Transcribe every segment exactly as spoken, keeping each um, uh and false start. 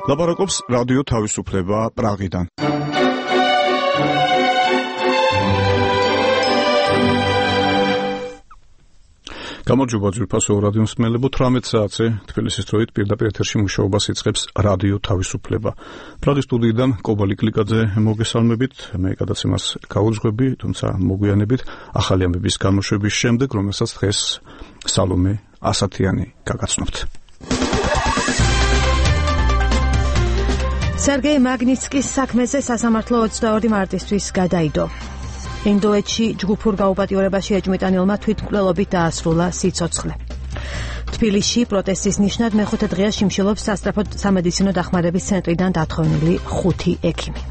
ლაპარაკობს რადიო თავისუფლება პრაღიდან. გამარჯობა ძვირფასო რადიო მსმენელებო, თვრამეტ საათზე თბილისის დროით პირდაპირ ეთერში მუშაობას იწყებს რადიო თავისუფლება. პრაღის სტუდიიდან კობალი კლიკაძე მოგესალმებით, მე გადაცემას გავუძღვები, თუმცა მოგვიანებით ახალი ამბების გამოშვების შემდეგ, რომელსაც დღეს სალომე ასათიანი გაგაცნობთ. სერგეი მაგნიცკის საქმეზე სასამართლო ოცდაორი მარტისთვის გადაიდო. ინდოეთში ჯგუფურ გაუპატიურებაში ეჭვმიტანილმა თვითმკვლელობით დაასრულა სიცოცხლე. თბილისში პროტესტის ნიშნად მეხუთე დღეა შიმშილობს სასწრაფო სამედიცინო დახმარების ცენტრიდან დათხოვნილი ხუთი ექიმი.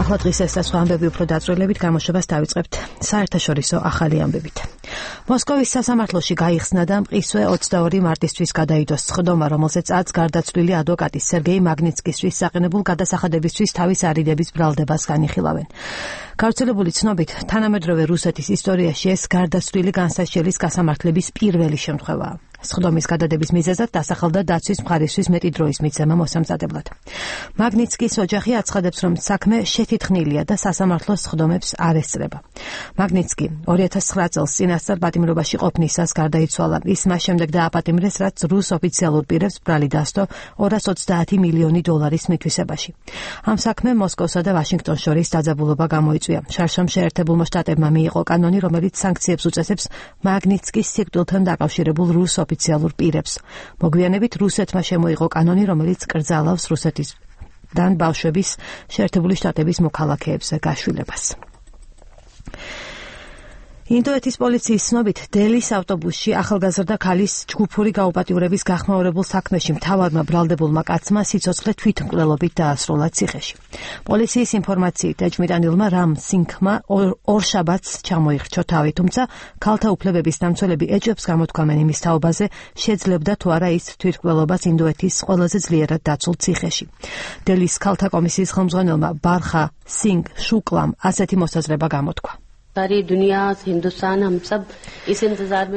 ახლა დღის ეს და სხვა ამბები უფრო დაწვრილებით გამოშვებას დავიწყებთ საერთაშორისო ახალი ამბებით. მოსკოვის სასამართლოში გაიხსნა და მყისვე ოცდაორი მარტისთვის გადაიდო სხდომა, რომელზეც ათს გარდაცვლილი ადვოკატი სერგეი მაგნიცკისთვის საყინებულ გადასახადებისთვის თავის არიდების ბრალდებას განიხილავენ. გავრცელებული ცნობით, თანამედროვე რუსეთის ისტორიაში ეს გარდაცვლილი განსაშლის გასამართლების პირველი შემთხვევაა. სხდომის გადადების მიზეზად დასახელდა დაცვის მხარისთვის მეტი დროის მიცემა მოსამზადებლად. მაგნიცკის ოჯახი აცხადებს, რომ საქმე შეთითხნილია და სასამართლოს სხდომებს არ ესწრება. მაგნიცკი ორი ათას ცხრა წელს წინასწარ პატიმრობაში ყოფნისას გარდაიცვალა. ის მას შემდეგ დააპატიმრეს, რაც რუს ოფიციალურ პირებს ბრალი დასდო ორას ოცდაათი მილიონი დოლარის მითვისებაში. ამ საქმემ მოსკოვსა და ვაშინგტონს შორის დაძაბულობა გამოიწვია. შარშემ შეერთებულმა შტატებმა მიიღო კანონი, რომელიც სანქციებს უწესებს მაგნიცკის სიკვდილთან დაკავშირებულ რუს ოფიციალურ პირებს. მოგვიანებით რუსეთმა შემოიღო კანონი, რომელიც კრძალავს რუსეთიდან ბავშვების შეერთებული შტატების მოქალაქეებზე გაშვილებას. ინდოეთის პოლიციის ცნობით, დელის ავტობუსში ახალგაზრდა ქალის ჯგუფური გაუპატიურების გახმაურებულ საქმეში მთავარმა ბრალდებულმა კაცმა სიცოცხლე თვითმკვლელობით დაასრულა ციხეში. პოლიციის ინფორმაციით, ეჭვმიტანილმა რამ სინგმა ორ შაბათს ჩამოიხრჩო თავი, თუმცა ქალთა უფლებების დამცველები ეჭვებს გამოთქვამენ იმის თაობაზე, შეძლებდა თუ არა ის თვითმკვლელობას ინდოეთის ყველაზე ძლიერად დაცულ ციხეში. დელის ქალთა კომისიის ხელმძღვანელმა ბარხა სინგ შუკლამ ასეთი მოსაზრება გამოთქვა.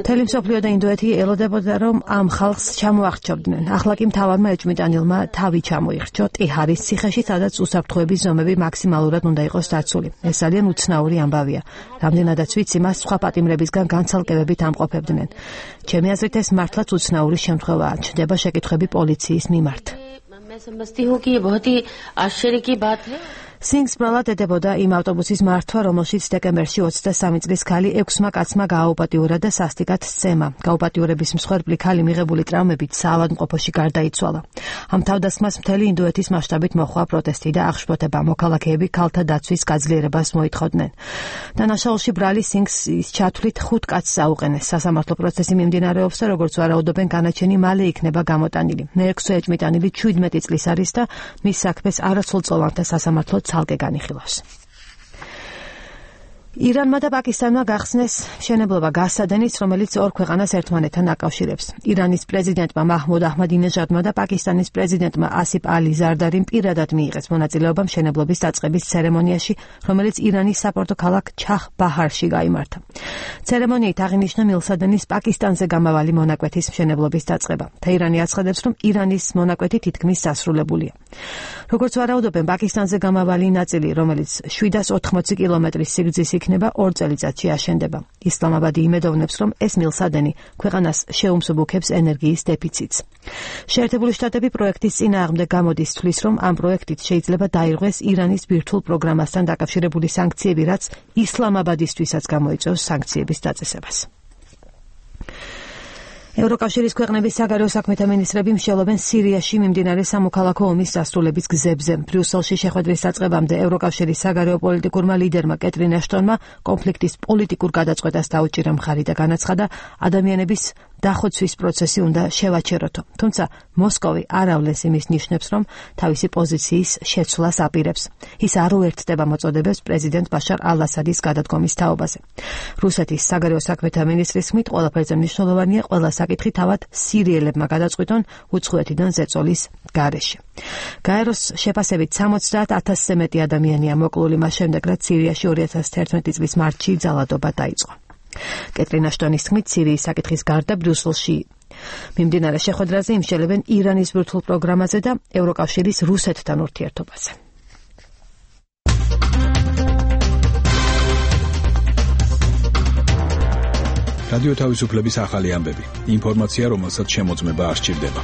მთელი მსოფლიო და ინდოეთი ელოდებოდა, რომ ამ ხალხს ჩამოახრჩობდნენ. ახლა კი მთავარმა ეჭვმიტანილმა თავი ჩამოიხრჩო ტიჰარის ციხეში, სადაც უსაფრთხოების ზომები მაქსიმალურად უნდა იყოს დაცული. ეს ძალიან უცნაური ამბავია. რამდენადაც ვიცი, მას სხვა პატიმრებისგან განცალკევებით ამყოფებდნენ. ჩემი აზრით, ეს მართლაც უცნაური შემთხვევაა. ჩნდება შეკითხვები პოლიციის მიმართ. სინგს ბრალად ედებოდა იმ ავტობუსის მართვა, რომელშიც დეკემბერში ოცდასამი წლის ქალი ექვსმა კაცმა გააუპატიურა და სასტიკად სცემა. გაუპატიურების მსხვერპლი ქალი მიღებული ტრავმებით საავადმყოფოში გარდაიცვალა. ამ თავდასხმას მთელი ინდოეთის მასშტაბით მოჰყვა პროტესტი და აღშფოთება. მოქალაქეები ქალთა დაცვის გაძლიერებას მოითხოვდნენ. დანაშაულში ბრალი სინგს ჩათვლით ხუთ კაცს აუყენეს. სასამართლო პროცესი მიმდინარეობს და როგორც ვარაუდობენ, განაჩენი მალე იქნება გამოტანილი. მეექვსე ეჭვმიტანილი ჩვიდმეტი წლის არის და მის საქმეს არასრულწლოვანთა სასამართლო ცალკე განიხილავს. ირანმა და პაკისტანმა გახსნეს მშენებლობა გასადენის, რომელიც ორ ქვეყანას ერთმანეთთან აკავშირებს. ირანის პრეზიდენტმა მაჰმუდ აჰმადინეჟადმა და პაკისტანის პრეზიდენტმა ასიფ ალი ზარდარიმ პირადად მიიღეს მონაწილეობა მშენებლობის დაწყების ცერემონიაში, რომელიც ირანის საპორტო ქალაქ ჩაჰ ბაჰარში გაიმართა. ცერემონიით აღინიშნა მილსადენის პაკისტანზე გამავალი მონაკვეთის მშენებლობის დაწყება. თეირანი აცხადებს, რომ ირანის მონაკვეთი თითქმის დასრულებულია. როგორც ვარაუდობენ, პაკისტანზე გამავალი ნაწილი, რომელიც შვიდას ოთხმოცი კილომეტრის სიგრძის იქნება, ორ წელიწადში აშენდება. ისლამაბადი იმედოვნებს, რომ ეს მილსადენი ქვეყანას შეუმსუბუქებს ენერგიის დეფიციტს. შეერთებული შტატები პროექტის წინააღმდეგ გამოდის, თვლის, რომ ამ პროექტით შეიძლება დაირღვეს ირანის ბირთვულ პროგრამასთან დაკავშირებული სანქციები, რაც ისლამაბადისთვისაც გამოიწვევს სანქციების დაწესებას. ევროკავშირის ქვეყნების საგარეო საქმეთა მინისტრები მსჯელობენ სირიაში მიმდინარე სამოქალაქო ომის დასრულების გზებზე. ბრიუსელში შეხვედრის დაწყებამდე ევროკავშირის საგარეო პოლიტიკურმა ლიდერმა კეტრინ ეშტონმა კონფლიქტის პოლიტიკურ გადაწყვეტას დაუჭირა მხარი და განაცხადა, ადამიანების დახოცვის პროცესი უნდა შევაჩეროთო. თუმცა მოსკოვი არ ავლენს იმის ნიშნებს, რომ თავისი პოზიციის შეცვლას აპირებს. ის არ უერთდება მოწოდებებს პრეზიდენტ ბაშარ ალ-ასადის გადადგომის თაობაზე. რუსეთის საგარეო საქმეთა მინისტრის ხმით ყველაფერზე მნიშვნელოვანია ყველა საკითხი თავად სირიელებმა გადაწყვიტონ უცხოეთიდან ზეწოლის გარეშე. გაეროს შეფასებით სამოცდაათ ათასზე მეტი ადამიანია მოკლული მას შემდეგ, რაც სირიაში ორი ათას თერთმეტი წლის მარტში ძალადობა დაიწყო. კეტრინ ეშტონის თქმით, სირიის საკითხის გარდა ბრიუსელში მიმდინარე შეხვედრაზე იმსჯელებენ ირანის ბირთვულ პროგრამაზე და ევროკავშირის რუსეთთან ურთიერთობაზე. რადიო თავისუფლების ახალი ამბები. ინფორმაცია, რომელსაც შემოწმება არ სჭირდება.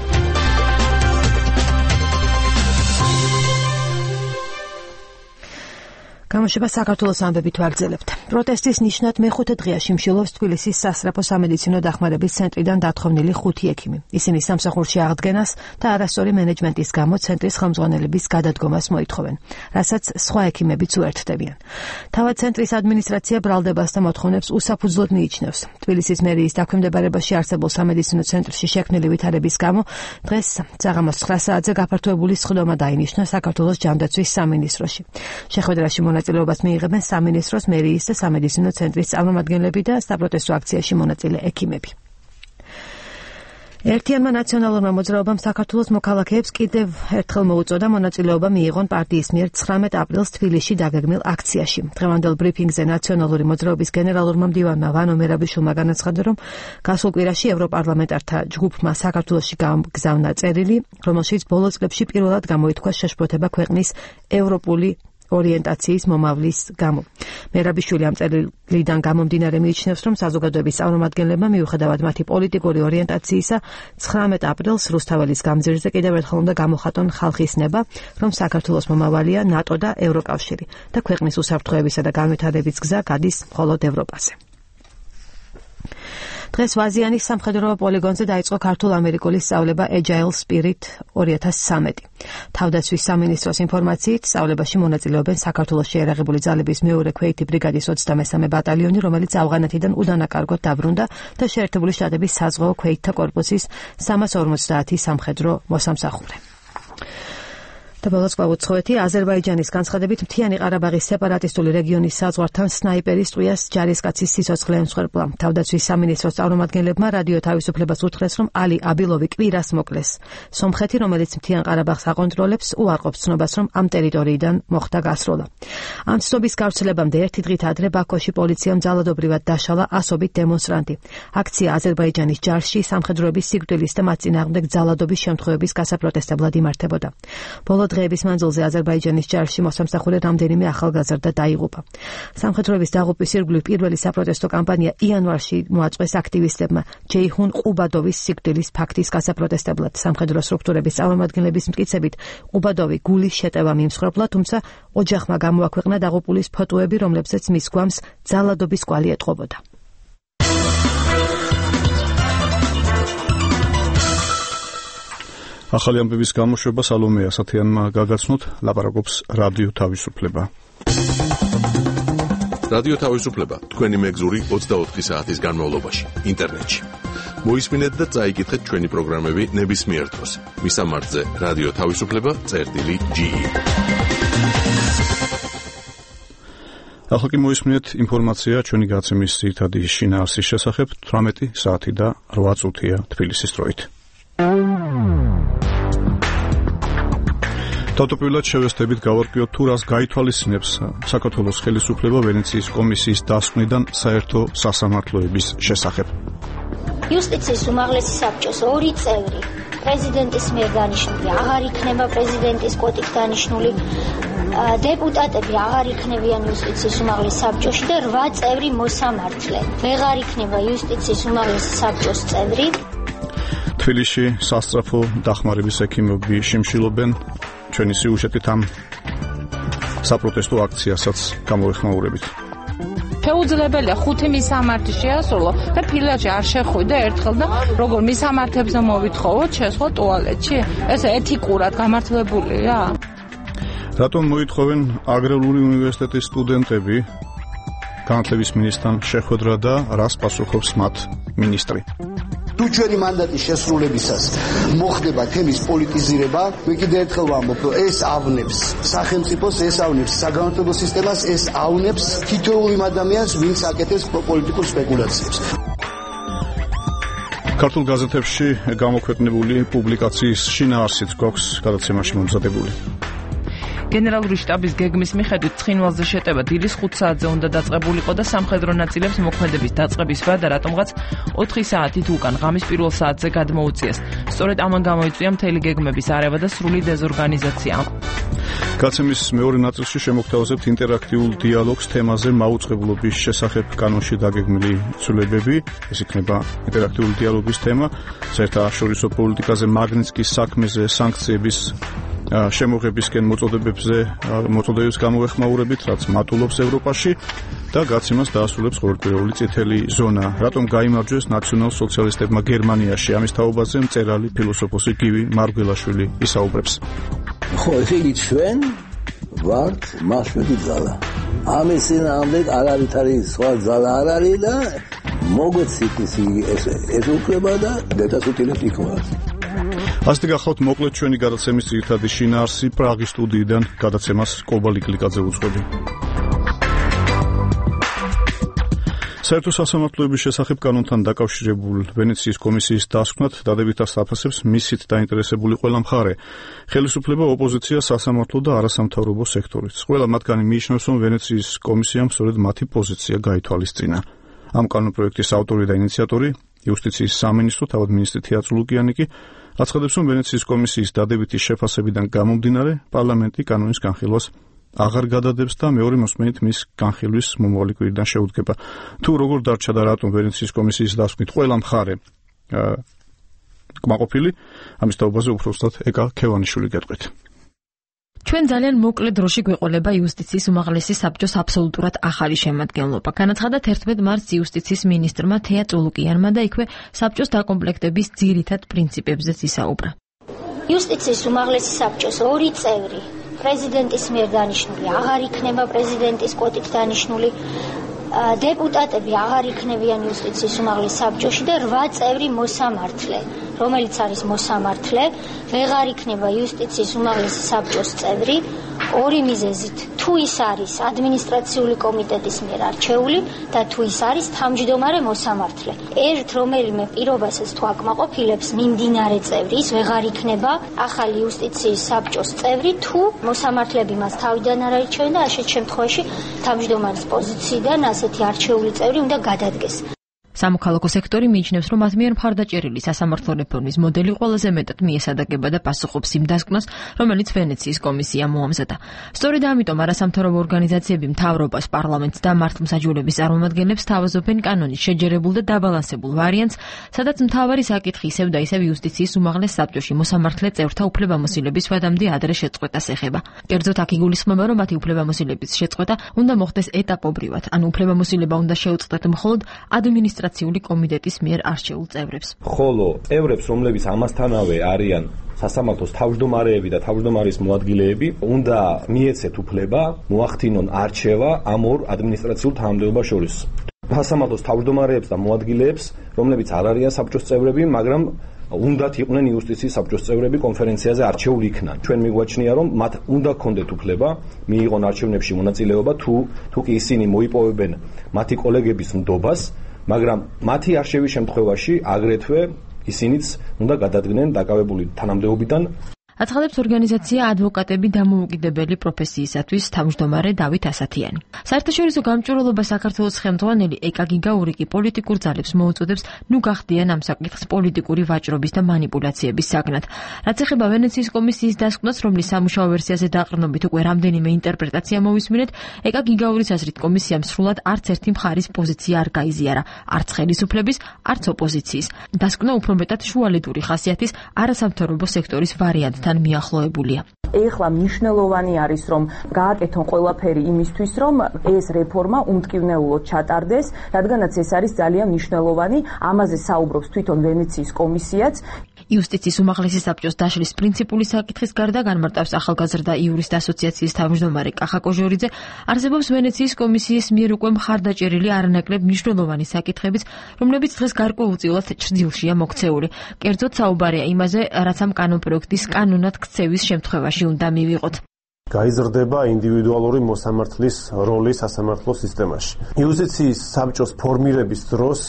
გამოშვება საქართველოს ამბებით ვაგრძელებთ. პროტესტის ნიშნად მეხუთე დღეაში მსჯელობს თბილისის სასწრაფო სამედიცინო დახმარების ცენტრიდან დათხოვნილი ხუთი ექიმი. ისინი სამსახურში აღდგენას და არასწორი მენეჯმენტის გამო ცენტრის ხელმძღვანელების გადადგომას მოითხოვენ, რასაც სხვა ექიმებიც უერთდებიან. თავად ცენტრის ადმინისტრაცია ბრალდებას და მოთხოვნებს უსაფუძვლოდ მიიჩნევს. თბილისის მერიის დაქვემდებარებაში არსებულ სამედიცინო ცენტრში შექმნილი ვითარების გამო დღეს საღამოს ცხრა საათზე გაფართოებული სხდომა დაინიშნა საქართველოს ჯანდაცვის სამინისტროში. შეხვედრაში მონაწილეობას მიიღებენ სამინისტროს, მერიის და სამედიცინო ცენტრის წარმომადგენლები და საპროტესტო აქციაში მონაწილე ექიმები. ერთიანმა ნაციონალურმა მოძრაობამ საქართველოს მოქალაქეებს კიდევ ერთხელ მოუწოდა მონაწილეობა მიიღონ პარტიის მიერ ცხრამეტ აპრილს თბილისში დაგეგმილ აქციაში. დღევანდელ ბრიფინგზე ნაციონალური მოძრაობის გენერალურმა მდივანმა ვანო მერაბიშვილმა განაცხადა, რომ გასულ კვირაში ევროპარლამენტართა ჯგუფმა საქართველოში გამგზავნა წერილი, რომელშიც ბოლო წლებში პირველად გამოითქვა შეშფოთება ქვეყნის ევროპული ორიენტაციის მომავლის გამო. მერაბიშვილი ამ წერილიდან გამომდინარე მიიჩნევს, რომ საზოგადოების წარმომადგენლებმა მიუხედავად მათი პოლიტიკური ორიენტაციისა, ცხრამეტ აპრილს რუსთაველის გამზირზე კიდევ ერთხელ უნდა გამოხატონ ხალხის ნება, რომ საქართველოს მომავალია ნატო და ევროკავშირი და ქვეყნის უსაფრთხოებისა და განვითარების გზა გადის მხოლოდ ევროპაზე. დღეს ვაზიანის სამხედრო პოლიგონზე დაიწყო ქართულ-ამერიკული სწავლება Agile Spirit ორი ათას ცხრამეტი. თავდაცვის სამინისტროს ინფორმაციით, სწავლებაში მონაწილეობენ საქართველოს შეიარაღებული ძალების მეორე ქვეითი ბრიგადის ოცდამესამე ბატალიონი, რომელიც ავღანეთიდან უდანაკარგოდ დაბრუნდა და შეერთებული შტატების საზღვაო ქვეითთა კორპუსის სამას ორმოცდაათი სამხედრო მოსამსახურე. და ბოლოს გვაუცხოეთი, აზერბაიჯანის განცხადებით მთიანი ყარაბაღის სეპარატისტული რეგიონის საზღვართან სნაიპერის ტყვიას ჯარისკაცის სიცოცხლე ემსხვერპლა. თავდაცვის სამინისტროს წარმომადგენლებმა რადიო თავისუფლებას უთხრეს, რომ ალი აბილოვი კვირას მოკლეს. სომხეთი, რომელიც მთიან ყარაბაღს აკონტროლებს, უარყოფს ცნობას, რომ ამ ტერიტორიიდან მოხდა გასროლა. ამ ცნობის გავრცელებამდე ერთი დღით ადრე ბაქოში პოლიციამ ძალადობრივად დაშალა ასობით დემონსტრანტი. აქცია აზერბაიჯანის ჯარში სამხედროების სიკვდილის და მათ წინააღმდეგ ძალადობის შემთხვევების გასაპროტესტებლად იმართებოდა. ბოლო დღეების მანძილზე აზერბაიჯანის ჯარში მოსამსახურე რამდენიმე ახალგაზრდა დაიღუპა. სამხედროების დაღუპვის ირგვლივ პირველი საპროტესტო კამპანია იანვარში მოაწყვეს აქტივისტებმა ჯეიჰუნ ყუბადოვის სიკვდილის ფაქტის გასაპროტესტებლად. სამხედრო სტრუქტურების წარმომადგენლების მტკიცებით, ყუბადოვი გულის შეტევა მიიმსხვერპლა, თუმცა ოჯახმა გამოაქვეყნა დაღუპულის ფოტოები, რომლებზეც მის გვამს ძალადობის კვალი ეტყობოდა. ახალი ამბების გამოშვება სალომე ასათიანმა გაგაცნოთ, ლაპარაკობს რადიო თავისუფლება. რადიო თავისუფლება თქვენი მეგზური ოცდაოთხი საათის განმავლობაში ინტერნეტში. მოისმინეთ და წაიკითხეთ ჩვენი პროგრამები ნებისმიერ დროს. მისამართზე რადიო თავისუფლება წერტილი ჯი. ახლა კი მოისმინეთ ინფორმაცია ჩვენი გაცემის ძირითადი შინაარსის შესახებ. თვრამეტი საათი და რვა წუთია თბილისის დროით. თავდაპირველად შევესწრებით გავარკვიოთ თუ რას გაითვალისწინებს საქართველოს ხელისუფლება ვენეციის კომისიის დასკვნიდან საერთო სასამართლოების შესახებ. იუსტიციის უმაღლესი საბჭოს ორი წევრი პრეზიდენტის მიერ დანიშნული აღარ იქნება პრეზიდენტის კვოტით დანიშნული დეპუტატები აღარ იქნებიან იუსტიციის უმაღლეს საბჭოში და რვა წევრი მოსამართლე ვეღარ იქნება იუსტიციის უმაღლეს საბჭოს წევრი. თბილისში სასწრაფო დახმარების ექიმები შიმშილობენ. ჩვენი სიუჟეტით ამ საპროტესტო აქციასაც გამოვეხმაურებით. შეუძლებელია ხუთი მისამართი შეასრულო და ფილაჭი არ შეხვიდა ერთხელ და როგორ მისამართებზე მოვითხოვოთ შესხვა ტუალეტში? ეს ეთიკურად გამართლებულია? რატომ მოითხოვენ აგრარული უნივერსიტეტის სტუდენტები განათლების მინისტრთან შეხვედრა და რას პასუხობს მათ მინისტრი? თუ ჩვენი მანდატის შესრულებისას მოხდება თემის პოლიტიზირება, მე კიდევ ერთხელ ვამბობ, რომ ეს ავნებს სახელმწიფოს, ეს ავნებს საგანმანათლებლო სისტემას, ეს ავნებს თითოეულ იმ ადამიანს, ვინც აკეთებს პოლიტიკურ სპეკულაციებს. ქართულ გაზეთებში გამოქვეყნებული პუბლიკაციის შინაარსიც გვაქვს გადაცემაში მომზადებული. გენერალური შტაბის გეგმის მიხედვით ცხინვალზე შეტევა დილის ხუთ საათზე უნდა დაწყებულიყო და სამხედრო ნაწილებს მოქმედების დაწყების ვადა რატომღაც ოთხი საათით უკან ღამის პირველ საათზე გადმოუწიეს. სწორედ ამან გამოიწვია მთელი გეგმების არევა და სრული დეზორგანიზაცია. გაცემის მეორე ნაწილში შემოგთავაზებთ ინტერაქტიულ დიალოგს თემაზე მაუწყებლობის შესახებ კანონში დაგეგმილი ცვლილებები. ეს იქნება ინტერაქტიული დიალოგის თემა. საერთაშორისო პოლიტიკაზე, მაგნიტსკის საქმეზე, სანქციების შემოღებისკენ მოწოდებებზე მოწოდებებს გამოეხმაურებით, რაც მატულობს ევროპაში და გაცემას დაასრულებს ყოველკვირეული წითელი ზონა. რატომ გაიმარჯვეს ნაციონალ-სოციალისტებმა გერმანიაში? ამის თაობაზე მწერალი ფილოსოფოსი გივი მარგველაშვილი ისაუბრებს. ხო, ესე ჩვენ ვართ მასშტაბი ძალა. ამის წინააღმდეგ არ არის არის სხვა ძალა არ არის და მოგვეცით ის ეს უფლება და დაწესებულებით იქნება. ასეთი გახავთ მოკლედ ჩვენი გადაცემის ძირითადი შინაარსი. პრაღის სტუდიიდან გადაცემას კობალი კლიკაძე უძღვები. საერთო სასამართლოების შესახებ კანონთან დაკავშირებულ ვენეციის კომისიის დასკვნად დადებითად საფასებს მისით დაინტერესებული ყველა მხარე. ხელისუფლება, ოპოზიცია, სასამართლო და არასამთავრობო სექტორიც. ყველა მათგანი მიიჩნევს, რომ ვენეციის კომისიამ სწორედ მათი პოზიცია გაითვალისწინა. ამ კანონპროექტის ავტორი და ინიციატორი, იუსტიციის სამინისტრო, თავად მინისტრი თეატრო ლუკიანი კი აცხადებს, რომ ვენეციის კომისიის დადებითი შეფასებიდან გამომდინარე, პარლამენტი კანონის განხილვას აღარ გადადებს და მეორე მოსმენით მის განხილვის მომავალი კვირიდან შეუდგება. თუ როგორ დარჩა და რატომ ვენეციის კომისიის დასკვნით ყველა მხარე კმაყოფილი, ამის თაობაზე უბრალოდ ეკა ქევანიშვილი გეტყვით. ჩვენ ძალიან მოკლე დროში გვეყოლება იუსტიციის უმაღლესი საბჭოს აბსოლუტურად ახალი შემადგენლობა. განაცხადა თერთმეტ მარტს იუსტიციის მინისტრმა თეა წულუკიანმა და იქვე საბჭოს დაკომპლექტების ძირითად პრინციპებზეც ისაუბრა. იუსტიციის უმაღლესი საბჭოს ორი წევრი პრეზიდენტის მიერ დანიშნული აღარ იქნება პრეზიდენტის კვოტით დანიშნული დეპუტატები აღარ იქნებიან იუსტიციის უმაღლეს საბჭოში და რვა წევრი მოსამართლე, რომელიც არის მოსამართლე, ვეღარ იქნება იუსტიციის უმაღლესი საბჭოს წევრი ორი მიზეზით. თუ ის არის ადმინისტრაციული კომიტეტის მიერ არჩეული და თუ ის არის თავმჯდომარე მოსამართლე. ერთ რომელიმე პირობასაც თუ აკმაყოფილებს მიმდინარე წევრი, ის ვეღარ იქნება ახალი იუსტიციის საბჭოს წევრი, თუ მოსამართლეები მას თავიდან არ არჩევენ და ასეთ შემთხვევაში თავმჯდომარის პოზიციიდან ასეთი არჩეული წევრი უნდა გადადგეს. სამოქალაქო სექტორი მიიჩნევს, რომ მათ მიერ მხარდაჭერილი სასამართლო რეფორმის მოდელი ყველაზე მეტად მიესადაგება და პასუხობს იმ დასკვნას, რომელიც ვენეციის კომისია მოამზადა. სწორედ ამიტომ არასამთავრობო ორგანიზაციები მთავრობას, პარლამენტს და მართლმსაჯულების წარმომადგენლებს თავაზობენ კანონის შეჯერებულ და დაბალანსებულ ვარიანტს, სადაც მთავარი საკითხი ისევ და ისევ იუსტიციის უმაღლეს საბჭოში მოსამართლე წევრთა უფლებამოსილების ვადამდე ადრე შეწყვეტას ეხება. კერძოდ აქ იგულისხმება, რომ მათი უფლებამოსილების შეწყვეტა უნდა მოხდეს ეტაპობრივად, ანუ უფლებამოსილება უნდა შეუწყდეთ მხოლოდ ადმინისტრაციული კომიტეტის მიერ არჩეულ წევრებს. ხოლო წევრებს, რომლებიც ამასთანავე არიან სასამართლოს თავმჯდომარეები და თავმჯდომარის მოადგილეები, უნდა მიეცეთ უფლება მოახდინონ არჩევა ამ ორ ადმინისტრაციულ თანამდებობას შორის. სასამართლოს თავმჯდომარეებს და მოადგილეებს, რომლებიც არ არიან საბჭოს წევრები, მაგრამ უნდათ იყვნენ იუსტიციის საბჭოს წევრები კონფერენციაზე არჩეული იქნან. ჩვენ მიგვაჩნია, რომ მათ უნდა ქონდეთ უფლება მიიღონ არჩევნებში მონაწილეობა, თუ თუ კი ისინი მოიპოვებენ მათი კოლეგების ნდობას, მაგრამ მათი არჩევის შემთხვევაში აგრეთვე ისინიც უნდა გადადგნენ დაკავებული თანამდებობიდან. აცხადებს ორგანიზაცია ადვოკატები დამოუკიდებელი პროფესიისათვის თავმჯდომარე დავით ასათიანი. საერთაშორისო გამჭვირვალობა საქართველოს ხელმძღვანელი ეკა გიგაური კი პოლიტიკურ ძალებს მოუწოდებს ნუ გახდიან ამ საკითხს პოლიტიკური ვაჭრობის და манипуляციების საგნად. რაც ეხება ვენეციის კომისიის დასკვნას, რომლის სამუშაო ვერსიაზე დაყრდნობით უკვე რამდენიმე ინტერპრეტაცია მოვისმინეთ, ეკა გიგაურის აზრით კომისიამ სრულად არც ერთი მხარის პოზიცია არ გაიზიარა, არც ხელისუფლების, არც ოპოზიციის. დასკვნა უფრო მეტად შუალედური ხასიათის არასამთავრობო სექტორის ვარიანტ თან მიახლოებულია. ეხლა მნიშვნელოვანი არის, რომ გააკეთონ ყველაფერი იმისთვის, რომ ეს რეფორმა უმტკივნეულოდ ჩატარდეს, რადგანაც ეს არის ძალიან მნიშვნელოვანი, ამაზე საუბრობს თვითონ ვენეციის კომისიაც. იუსტიციის უმაღლესი საბჭოს დაშლის პრინციპული საკითხის გარდა განმარტავს ახალგაზრდა იურისტ ასოციაციის თავმჯდომარე კახა კოჟორიძე, არსებობს ვენეციის კომისიის მიერ უკვე მხარდაჭერილი არანაკლებ მნიშვნელოვანი საკითხებიც, რომლებიც დღეს გარკვეულწილად ჭრილშია მოქცეული. კერძოდ საუბარია იმაზე, რაც ამ კანონპროექტის კანონად ქცევის შემთხვევაში უნდა მივიღოთ. გაიზრდება ინდივიდუალური მოსამართლის როლი სასამართლო სისტემაში. იუსტიციის საბჭოს ფორმირების დროს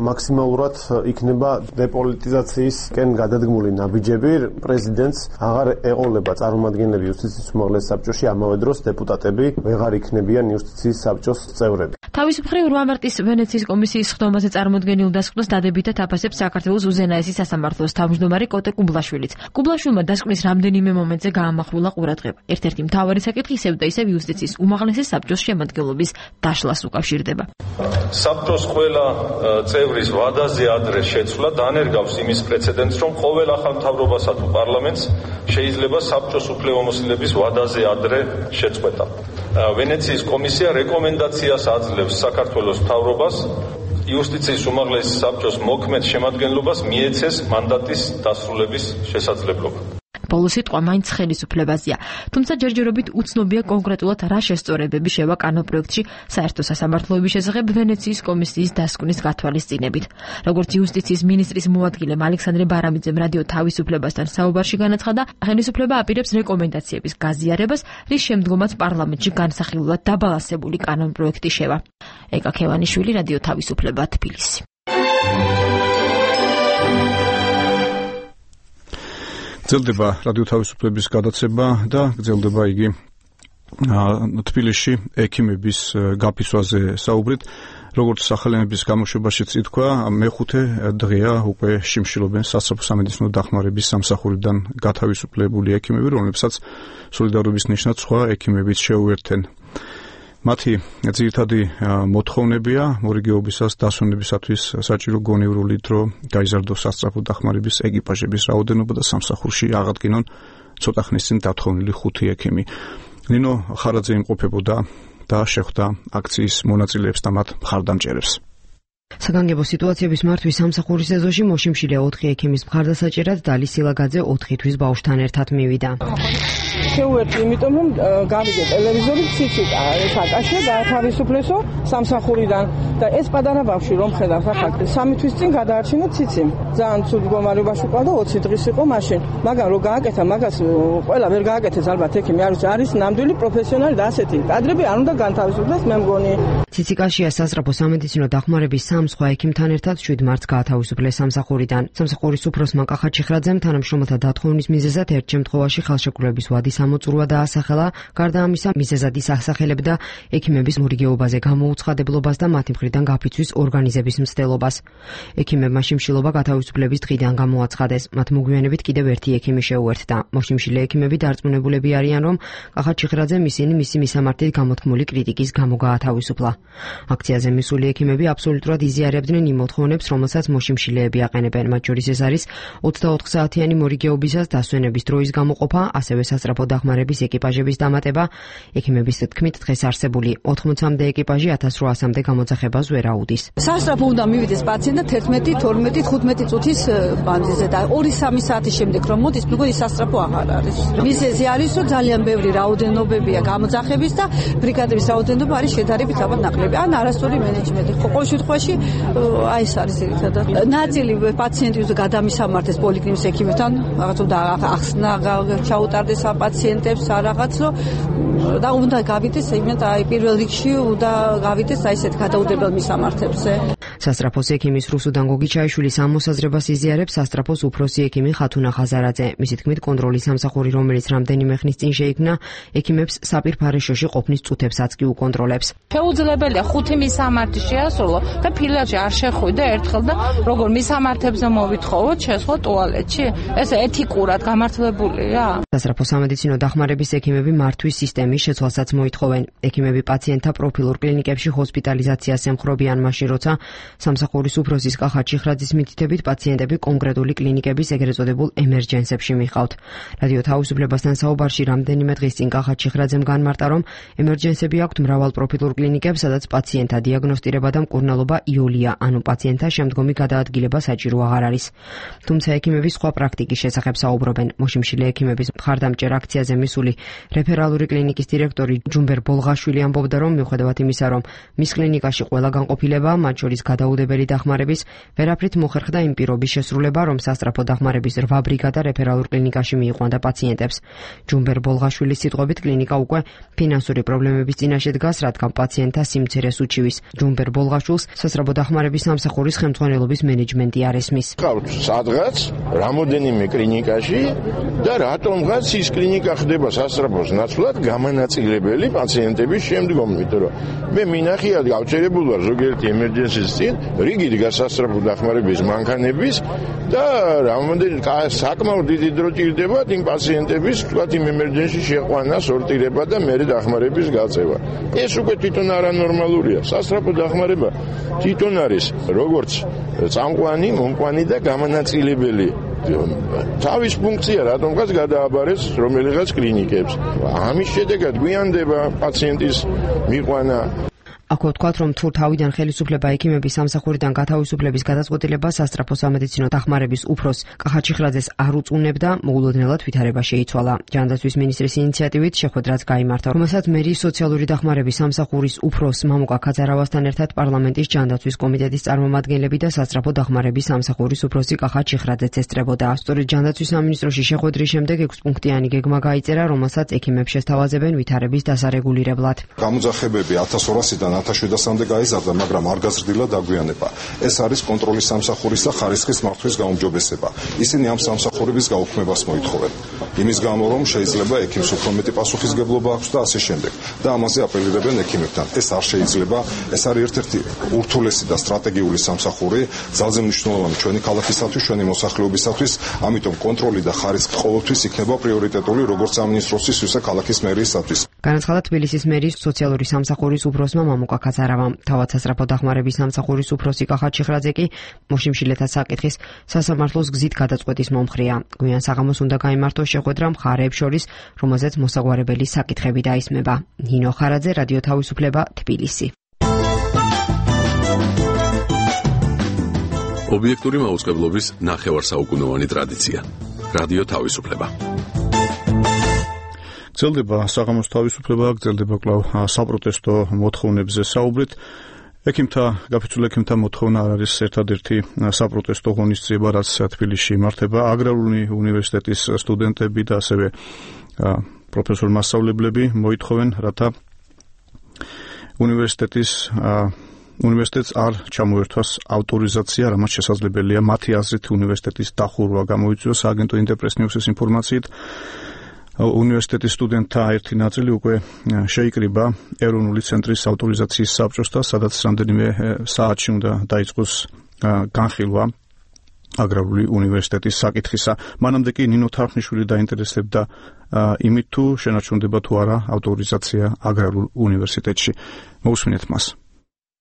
მაქსიმალურად იქნება დეპოლიტიზაციისკენ გადადგმული ნაბიჯები. პრეზიდენტს აღარ ეყოლება წარმომადგენლები იუსტიციის უმაღლეს საბჭოში, ამავე დროს დეპუტატები ვეღარ იქნებიან იუსტიციის საბჭოს წევრები. თავის მხრივ რვა მარტის ვენეციის კომისიის ხდომაზე წარმოდგენილ დასკვნას დადებითად აფასებს საქართველოს უზენაესი სასამართლოს თავმჯდომარე კოტე კუბლაშვილიც. კუბლაშვილმა დასკვნის რამდენიმე მომენტზე გაამახვილა ყურადღება. ერთ-ერთი მთავარი საკითხი ისევ და ისევ იუსტიციის უმაღლესი საბჭოს შემადგენლობის დაშლას უკავშირდება. საბჭოს ყველა წევრის ვადაზე ადრე შეცვლა დანერგავს იმის პრეცედენტს, რომ ყოველ ახალ მთავრობასა თუ პარლამენტს შეიძლება საბჭოს უფლებამოსილების ვადაზე ადრე შეწყვეტა. ვენეციის კომისია რეკომენდაციას აძლევს საქართველოს მთავრობას იუსტიციის უმაღლესი საბჭოს მოქმედ შემადგენლობას მიეცეს მანდატის დასრულების შესაძლებლობა. ბოლო სიტყვა მაინც ხელისუფლებაზეა. თუმცა ჯერჯერობით უცნობია კონკრეტულად რა შესწორებები შევა კანონპროექტში საერთო სასამართლოების შესახებ ვენეციის კომისიის დასკვნის გათვალისწინებით. როგორც იუსტიციის მინისტრის მოადგილემ ალექსანდრე ბარამიძემ რადიო თავისუფლებასთან საუბარში განაცხადა, ხელისუფლება აპირებს რეკომენდაციების გაზიარებას, რის შემდგომაც პარლამენტში განსახილულად დაბალანსებული კანონპროექტი შევა. ეკა ქევანიშვილი, რადიო თავისუფლება, თბილისი. გრძელდება რადიო თავისუფლების გადაცემა და გრძელდება იგი თბილისში ექიმების გაფიცვაზე საუბრით. როგორც სახელმწიფოს გამოშვებაშიც ითქვა, მეხუთე დღეა უკვე შიმშილობენ სასწრაფო სამედიცინო დახმარების სამსახურიდან გათავისუფლებული ექიმები, რომლებსაც სოლიდარობის ნიშნად სხვა ექიმებიც შეუერთენ. მათი ძირითადი მოთხოვნებია მორიგეობისას დასვენებისათვის საჭირო გონევრული დრო, გაიზარდოს სასწრაფო დახმარების ეკიპაჟების რაოდენობა და სამსახურში აღადგინონ ცოტა ხნის წინ დათხოვნილი ხუთი ექიმი. ნინო ხარაძე იმყოფებოდა და შეხვდა აქციის მონაწილეებს და მათ მხარდამჭერებს. საგანგებო სიტუაციების მართვის სამსახურის ეზოში მოშიმშილე ოთხი ექიმის მხარდასაჭერად დალი სილაგაძე ოთხი თვის ბავშვთან ერთად მივიდა. შეუერთდი, იმიტომ რომ გავიგე ტელევიზორით ციცით ეს აკაშე გაათავისუფლესო სამსახურიდან და ეს პატარა ბავშვი რომ ხედავს ახლა სამი თვის წინ გადაარჩინა ციცი. ძალიან ცუდ მდგომარეობაში ყავდა ოცი დღის იყო მაშინ. მაგრამ რო გააკეთა მაგას ყველა ვერ გააკეთეს ალბათ ექიმი არ ვიცი არის ნამდვილი პროფესიონალი და ასეთი კადრები არ უნდა განთავისუფლდეს მე მგონი. ციციკაშია სასწრაფო სამედიცინო დახმარების სამ სხვა ექიმთან ერთად შვიდ მარტს გაათავისუფლეს სამსახურიდან. სამსახურის უფროსმა კახა ჩიხრაძემ თანამშრომელთა დათხოვნის მიზეზად ერთ შემთხვევაში ხელშეკრულების ვადის ამოწურვა დაასახელა. გარდა ამისა, მიზეზად ის ასახელებდა ექიმების მორიგეობაზე გამოუცხადებლობას და მათი მხრიდან გაფიცვის ორგანიზების მცდელობას. ექიმებმა შიმშილობა გათავისუფლების დღიდან გამოაცხადეს. მათ მოგვიანებით კიდევ ერთი ექიმი შეუერთდა. მოშიმშილე ექიმები დარწმუნებულები არიან, რომ კახა ჩიხრაძემ ისინი მისი მისამართით გამოთქმული კრიტიკის გამო გაათავისუფლა. აქციაზე მისული ექიმები აბსოლუტურად იზიარებდნენ იმ მოთხოვნებს, რომელსაც მოშიმშილეები აყენებენ. მათ შორის ეს არის ოცდაოთხ საათიანი მორიგეობისას დასვენების დროის გამოყოფა, ასევე სასწრაფო დახმარების ეკიპაჟების დამატება. ექიმების თქმით, დღეს არსებული ოთხმოცამდე ეკიპაჟი ათას რვაასამდე გამოძახებას ვერ აუდის. სასწრაფო უნდა მივიდეს პაციენტი თერთმეტი, თორმეტი, თხუთმეტი წუთის მანძილზე და ორი სამი საათის შემდეგ რომ მოდის, მეგონი სასწრაფო აღარ არის. მიზეზი არის, რომ ძალიან ბევრი რაოდენობებია გამოძახების და ბრიგადების რაოდენობა არის შედარებით ალბათ ნაკლები. ან არასწორი მენეჯმენტი. ყოველ შემთხვევაში აი ეს არის ერთადად. ნაწილი პაციენტი უნდა გადამისამართეს პოლიკლინიკის ექიმებთან, რაღაც უნდა ახსნა ჩაუტარდეს პაციენტებს რაღაც და უნდა გავიდეს იმენ აი პირველ რიგში უნდა გავიდეს აი ესეთ გადაუდებელ მისამართებზე. სასტრაფოს ექიმის რუსუდან გოგიჩაიშვილის ამოსაზრებას იზიარებს სასტრაფოს უფროსი ექიმი ხათუნა ხაზარაძე. მისი თქმით, კონტროლის სამსახური, რომელიც რამდენიმე ხნის წინ შეიქმნა, ექიმებს საპირფარეშოში ყოფნის წუთებსაც კი უკონტროლებს. შეუძლებელია ხუთი მისამართი შეასრულო და ფილიალში არ შეხვიდე ერთხელ და როგორ მისამართებზე მოვითხოვოთ შესხო ტუალეტში? ეს ეთიკურად გამართლებულია? სასტრაფოს სამედიცინო დახმარების ექიმები მართვის სისტემის შეცვალსაც მოითხოვენ. ექიმები პაციენტთა პროფილურ კლინიკებში ჰოსპიტალიზაციას ემხრობიან მაშინ, როცა სამსახურის უფროსის კახა ჩიხრაძის მითითებით პაციენტები კონკრეტული კლინიკების ეგრეთ წოდებულ ემერჯენსებში მიყავთ. რადიო თავისუფლებასთან საუბარში რამდენიმე დღის წინ კახა ჩიხრაძემ განმარტა, რომ ემერჯენსები აქვთ მრავალპროფილურ კლინიკებს, სადაც პაციენტთა დიაგნოსტირება და მკურნალობა იოლია, ანუ პაციენტთა შემდგომი გადაადგილება საჭირო აღარ არის. თუმცა ექიმები სხვა პრაქტიკის შესახებ საუბრობენ. მოშიმშილე ექიმების მხარდამჭერ აქციაზე მისული რეფერალური კლინიკის დირექტორი ჯუმბერ ბოლღაშვილი ამბობდა, რომ მიუხედავად იმისა, რომ მის კლინიკაში ყველა განყოფილება, მათ შორის გადაუდებელი დახმარების, ვერაფრით მოხერხდა იმ პირობის შესრულება, რომ სასწრაფო დახმარების რვა ბრიგადა რეფერალურ კლინიკაში მიიყვანდა პაციენტებს. ჯუმბერ ბოლღაშვილის სიტყვებით, კლინიკა უკვე ფინანსური პრობლემების წინაშე დგას, რადგან პაციენტთა სიმცირეს უჩივის. ჯუმბერ ბოლღაშვილს სასწრაფო დახმარების სამსახურის ხელმძღვანელობის მენეჯმენტი არ ესმის. ყავთ სადღაც რამოდენიმე კლინიკაში და რატომღაც ის კლინიკა ხდება სასწრაფოს ნაცვლად გამანაწილებელი პაციენტების შემდგომ, იმიტომ რომ მე მინახია გავჩერებულ ვარ ზოგიერთი ემერჯენსის წინ, რიგით გასასწრაფო დახმარების მანქანების და რამოდენიმე საკმაოდ დიდი დრო ჭირდებათ იმ პაციენტების, თქვათ, იმ ემერჯენსში შეყვანა, სორტირება და მერე დახმარების გაწევა. ეს უკვე თვითონ არანორმალურია. სასწრაფო დახმარება თვითონ არის როგორც წამყვანი, მომყვანი და გამანაწილებელი. თავის ფუნქცია რატომღაც გადააბარეს რომელიღაც კლინიკებს. ამის შედეგად გვიანდება პაციენტის მიყვანა. Ako ვთქვათ, რომ თუ თავიდან ხელისუფლება ექიმების სამსახურიდან გათავისუფლების გადაწყვეტილება სასწრაფო სამედიცინო დახმარების უფროს კახაჩიხრაძეს არ უწუნებდა, მოულოდნელად ვითარება შეიცვალა. ჯანდაცვის მინისტრის ინიციატივით შეხვედრაც გაიმართა, რომელსაც მერის სოციალური დახმარების სამსახურის უფროს მამუკა ქაძარავასთან ერთად პარლამენტის ჯანდაცვის კომიტეტის წარმომადგენლები და სასწრაფო დახმარების სამსახურის უფროსი კახაჩიხრაძეც ესწრებოდა. სწორედ ჯანდაცვის სამინისტროში შეხვედრის შემდეგ ექვსპუნქტიანი გეგმა გაიწერა, რომელსაც ექიმებს შესთავაზებენ ვითარების დასარეგულირებლად. გამოძახებები ათას ორასიდან ათას შვიდასამდე გაიზარდა, მაგრამ არ გაზრდილა დაგვიანება. ეს არის კონტროლის სამსახურის და ხარისხის მართვის გაუმჯობესება. ისინი ამ სამსახურების გაუქმებას მოითხოვენ. იმის გამო, რომ შეიძლება ექიმს უფრო მეტი პასუხისგებლობა აქვს და ასე შემდეგ. და ამაზე აპელირებენ ექიმებთან. ეს არ შეიძლება. ეს არის ერთ-ერთი ურთულესი და სტრატეგიული სამსახური, ძალზე მნიშვნელოვანი ჩვენი ქალაქისათვის, ჩვენი მოსახლეობისათვის, ამიტომ კონტროლი და ხარისხი ყოველთვის იქნება პრიორიტეტული როგორც სამინისტროსთვის, ისე ქალაქის მერიისათვის. განაცხადა თბილისის მერის სოციალური სამსახურის უფროსმა მამუკა ქაძარავამ. თავად სასწრაფო დახმარების სამსახურის უფროსი კახაჩიხრაძე კი მოშიმშილეთა საკითხის სასამართლოს გზით გადაწყვეტის მომხრეა. გვიან საღამოს უნდა გაიმართოს შეხვედრა მხარეებს შორის, რომელზეც მოსაგვარებელი საკითხები დაისმება. ნინო ხარაძე, რადიო თავისუფლება, თბილისი. ობიექტური მაუწყებლობის ნახევარსაუკუნოვანი ტრადიცია. რადიო თავისუფლება. გრძელდება საღამოს თავისუფლება, გრძელდება კვლავ საპროტესტო მოთხოვნებზე საუბრით. ექიმთა, გაფიცულ ექიმთა მოთხოვნა არ არის ერთადერთი საპროტესტო ღონისძიება, რაც თბილისში იმართება. აგრარული უნივერსიტეტის სტუდენტები და ასევე პროფესორ-მასწავლებლები მოითხოვენ, რათა უნივერსიტეტის უნივერსიტეტს არ ჩამოერთვას ავტორიზაცია, რამაც შესაძლებელია მათი აზრით უნივერსიტეტის დახურვა გამოიწვიოს. აგენტო ინტერპრეს ნიუსის ინფორმაციით უნივერსიტეტის სტუდენტთა ერთი ნაწილი უკვე შეიკრიბა ეროვნული ცენტრის ავტორიზაციის საბჭოსთან, სადაც რამდენიმე საათში უნდა დაიწყოს განხილვა აგრარული უნივერსიტეტის საკითხისა. მანამდე კი ნინო თარხნიშვილი დაინტერესებდა იმით, თუ შენარჩუნდება თუ არა ავტორიზაცია აგრარულ უნივერსიტეტში. მოусმინეთ მას.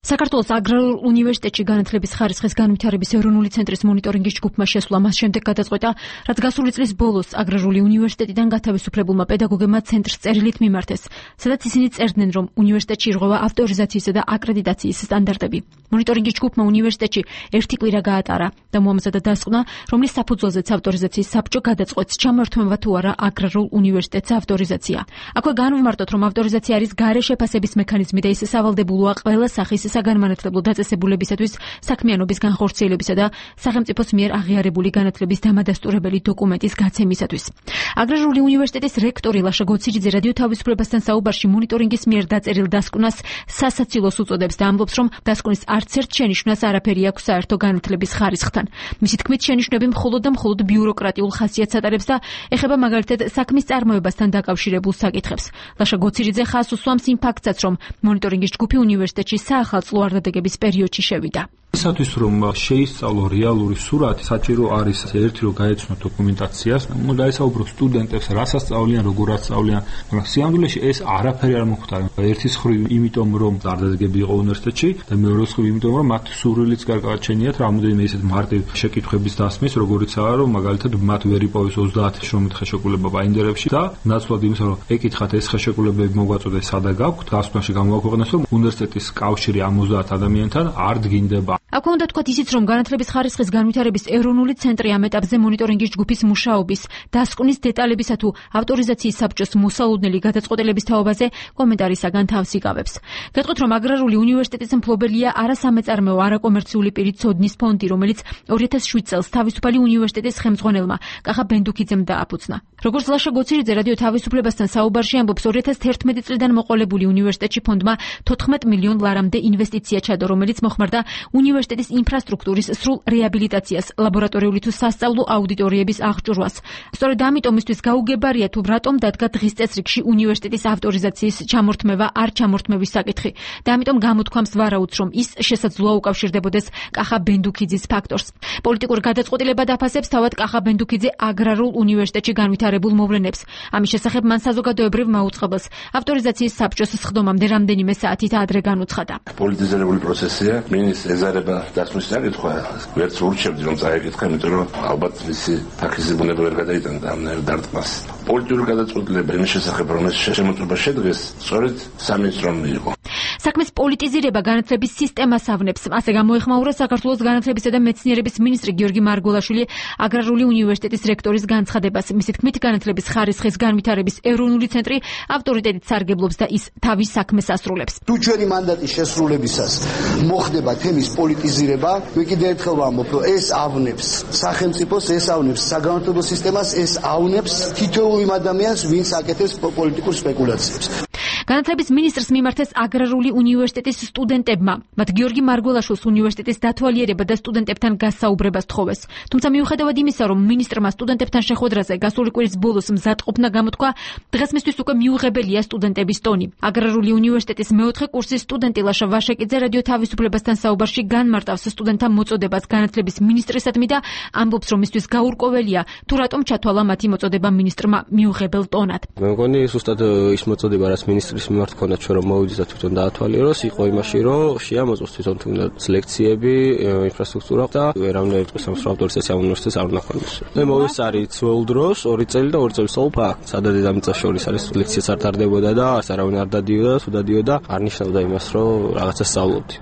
საქართველოს აგრარულ უნივერსიტეტში განათლების ხარისხის განვითარების ეროვნული ცენტრის მონიტორინგის ჯგუფმა შესვლა მას შემდეგ გადაწყვეტა, რაც გასული წლის ბოლოს აგრარული უნივერსიტეტიდან გათავისუფლებულმა პედაგოგებმა ცენტრს წერილით მიმართეს, სადაც ისინი წერდნენ, რომ უნივერსიტეტში ირღვევა ავტორიზაციისა და აკრედიტაციის სტანდარტები. მონიტორინგის ჯგუფმა უნივერსიტეტში ერთი კვირა გაატარა და მოამზადა დასკვნა, რომლის საფუძველზეც ავტორიზაციის საბჭო გადაწყვეტს, ჩამოერთვება თუ არა აგრარულ უნივერსიტეტს ავტორიზაცია. აქვე განვმარტოთ, რომ ავტორიზაცია არის გარე შეფასების მექანიზმი და ის სავალდებულოა ყველა სახის საგანმანათლებლო დაწესებულებისათვის, საქმიანობის განხორციელებისა და სახელმწიფოს მიერ აღიარებული განათლების დამადასტურებელი დოკუმენტის გაცემისათვის. აგრარული უნივერსიტეტის რექტორი ლაშა გოცირიძე რადიო თავისუფლებასთან საუბარში მონიტორინგის მიერ დაწერილ დასკვნას სასაცილოს უწოდებს და ამბობს, რომ დასკვნის არც ერთ შენიშვნას არაფერი აქვს საერთო განათლების ხარისხთან. მისი თქმით, შენიშვნები მხოლოდ და მხოლოდ ბიუროკრატიულ ხასიათს ატარებს და ეხება მაგალითად საქმის წარმოებასთან დაკავშირებულ საკითხებს. ლაშა გოცირიძე ხაზს უსვამს იმ ფაქტსაც, რომ მონიტორინგის ჯგუფი უნივერსიტეტში საახალწლო არდადეგების პერიოდში შევიდა. ისათვის რომ შეისწავლო რეალური სურათი, საჭირო არის ერთი რომ გაეცნო დოკუმენტაციას, უნდა დაესაუბრო სტუდენტებს, რას ასწავლიან, როგორ ასწავლიან, მაგრამ სიამდვილეში ეს არაფერი არ მოხდა. ერთის მხრივ იმიტომ რომ არდადეგები იყო უნივერსიტეტში და მეორე მხრივ იმიტომ რომ მათ სურვილიც გარკვეულწინიათ რამოდენიმე ისეთ მარტივ შეკითხვების დასმის, როგორიცაა რომ მაგალითად მათ ვერ იპოვეს ოცდაათი შრომით ხელშეკრულება ბაინდერებში და ნაცვლად იმისა რომ ეკითხათ ეს ხელშეკრულებები მოგვაწოდეთ სადა გაქვთ, დასკვნაში გამოაქვეყნეს რომ უნივერსიტეტის კავშირი ამ ოცდაათ ადამიანთან არ დგინდება. აქვე უნდა თქვათ ისიც, რომ განათლების ხარისხის განვითარების ეროვნული ცენტრი ამ ეტაპზე მონიტორინგის ჯგუფის მუშაობის დასკვნის დეტალებისა თუ ავტორიზაციის საბჭოს მოსალოდნელი გადაწყვეტილების თაობაზე კომენტარისაგან თავს იკავებს. გეტყვით, რომ აგრარული უნივერსიტეტის მფლობელია არასამეწარმეო არაკომერციული პირი ცოდნის ფონდი, რომელიც ორი ათას შვიდ წელს თავისუფალი უნივერსიტეტის ხელმძღვანელმა კახა ბენდუქიძემ დააფუძნა. როგორც ლაშა გოცირიძე რადიო თავისუფლებასთან საუბარში ამბობს, ორი ათას თერთმეტი წლიდან მოყოლებული უნივერსიტეტში ფონდმა თოთხმეტ მილიონ ლარამდე ინვესტიცია ჩადო, რომელიც მოხმარდა უნივერსიტეტის ინფრასტრუქტურის სრულ რეაბილიტაციას, ლაბორატორიული თუ სასწავლო აუდიტორიების აღჭურვას. სწორედ ამიტომ ისთვის გაუგებარია თუ რატომ დადგა დღის წესრიგში უნივერსიტეტის ავტორიზაციის ჩამორთმევა არ ჩამორთმევის საკითხი და ამიტომ გამოთქვამს ვარაუდს, რომ ის შესაძლოა უკავშირდებოდეს კახა ბენდუქიძის ფაქტორს. პოლიტიკურ გადაწყვეტილებად აფასებს თავად კახა ბენდუქიძე აგრარულ უნივერსიტეტში განვითარებულ მოვლენებს. ამის შესახებ მან საზოგადოებრივ მაუწყებელს ავტორიზაციის საბჭოს სხდომამდე რამდენიმე საათით ადრე განუცხადა. პოლიტიზირებული პროცესია, მინის ეზარება დასმის საკითხვა, ვერც ურჩევდი რომ წაეკითხა, იმიტომ რომ ალბათ მისი ფაქიზი ბუნება ვერ გადაიტანდა ამ დარტყმას. პოლიტიკური გადაწყვეტილება იმის შესახებ, რომ ეს შემოწმება შედგეს, სწორედ სამინისტრომ იყო. საქმის პოლიტიზირება განათლების სისტემას ავნებს. ასე გამოეხმაურა საქართველოს განათლებისა და მეცნიერების მინისტრი გიორგი მარგველაშვილი აგრარული უნივერსიტეტის რექტორის განცხადებას. მისი თქმით, განათლების ხარისხის განვითარების ეროვნული ცენტრი ავტორიტეტით სარგებლობს და ის თავის საქმეს ასრულებს. თუ ჩვენი მანდატის შესრულებისას მოხდება თემის პოლიტიზირება, მე კიდევ ერთხელ ვამბობ, რომ ეს ავნებს სახელმწიფოს, ეს ავნებს საგანმანათლებლო სისტემას, ეს ავნებს თითოეულ იმ ადამიანს, ვინც აკეთებს პოლიტიკურ სპეკულაციებს. განათლების მინისტრს მიმართეს აგრარული უნივერსიტეტის სტუდენტებმა. მათ გიორგი მარგველაშვილს უნივერსიტეტის დათვალიერება და სტუდენტებთან გასაუბრება სთხოვეს. თუმცა მიუხედავად იმისა, რომ მინისტრმა სტუდენტებთან შეხვედრაზე გასული კვირის ბოლოს მზადყოფნა გამოთქვა, დღეს მისთვის უკვე მიუღებელია სტუდენტების ტონი. აგრარული უნივერსიტეტის მეოთხე კურსის სტუდენტი ლაშა ვაშეკიძე რადიო თავისუფლებასთან საუბარში განმარტავს სტუდენტთა მოწოდებას განათლების მინისტრისადმი და ამბობს, რომ მისთვის გაურკვეველია თუ რატომ ჩათვალა მათი მოწოდება მინისტრმა მიუღებელ ტონად. მე მგონი ზუსტად ის მოწოდება, რაც მინისტრის მიმართ ქონდა ჩვენ რომ მოვიდეს და თვითონ დაათვალიეროს, იყო იმაში, რომ შეამოწოს თვითონ თუნდაც ლექციები, ინფრასტრუქტურა და ვერავინ ერწყმის ამ ავტორიზაცია უნივერსიტეტს არ უნდა ქონდეს. მე მოვისწარი ძველ დროს ორი წელი და ორი წელი სწავლობ აქ. სადაც დედამიწას შორის არის ლექციაც არ ტარდებოდა და არავინ არ დადიოდა, თუ დადიოდა, არ ნიშნავდა იმას, რომ რაღაცა სწავლობდი.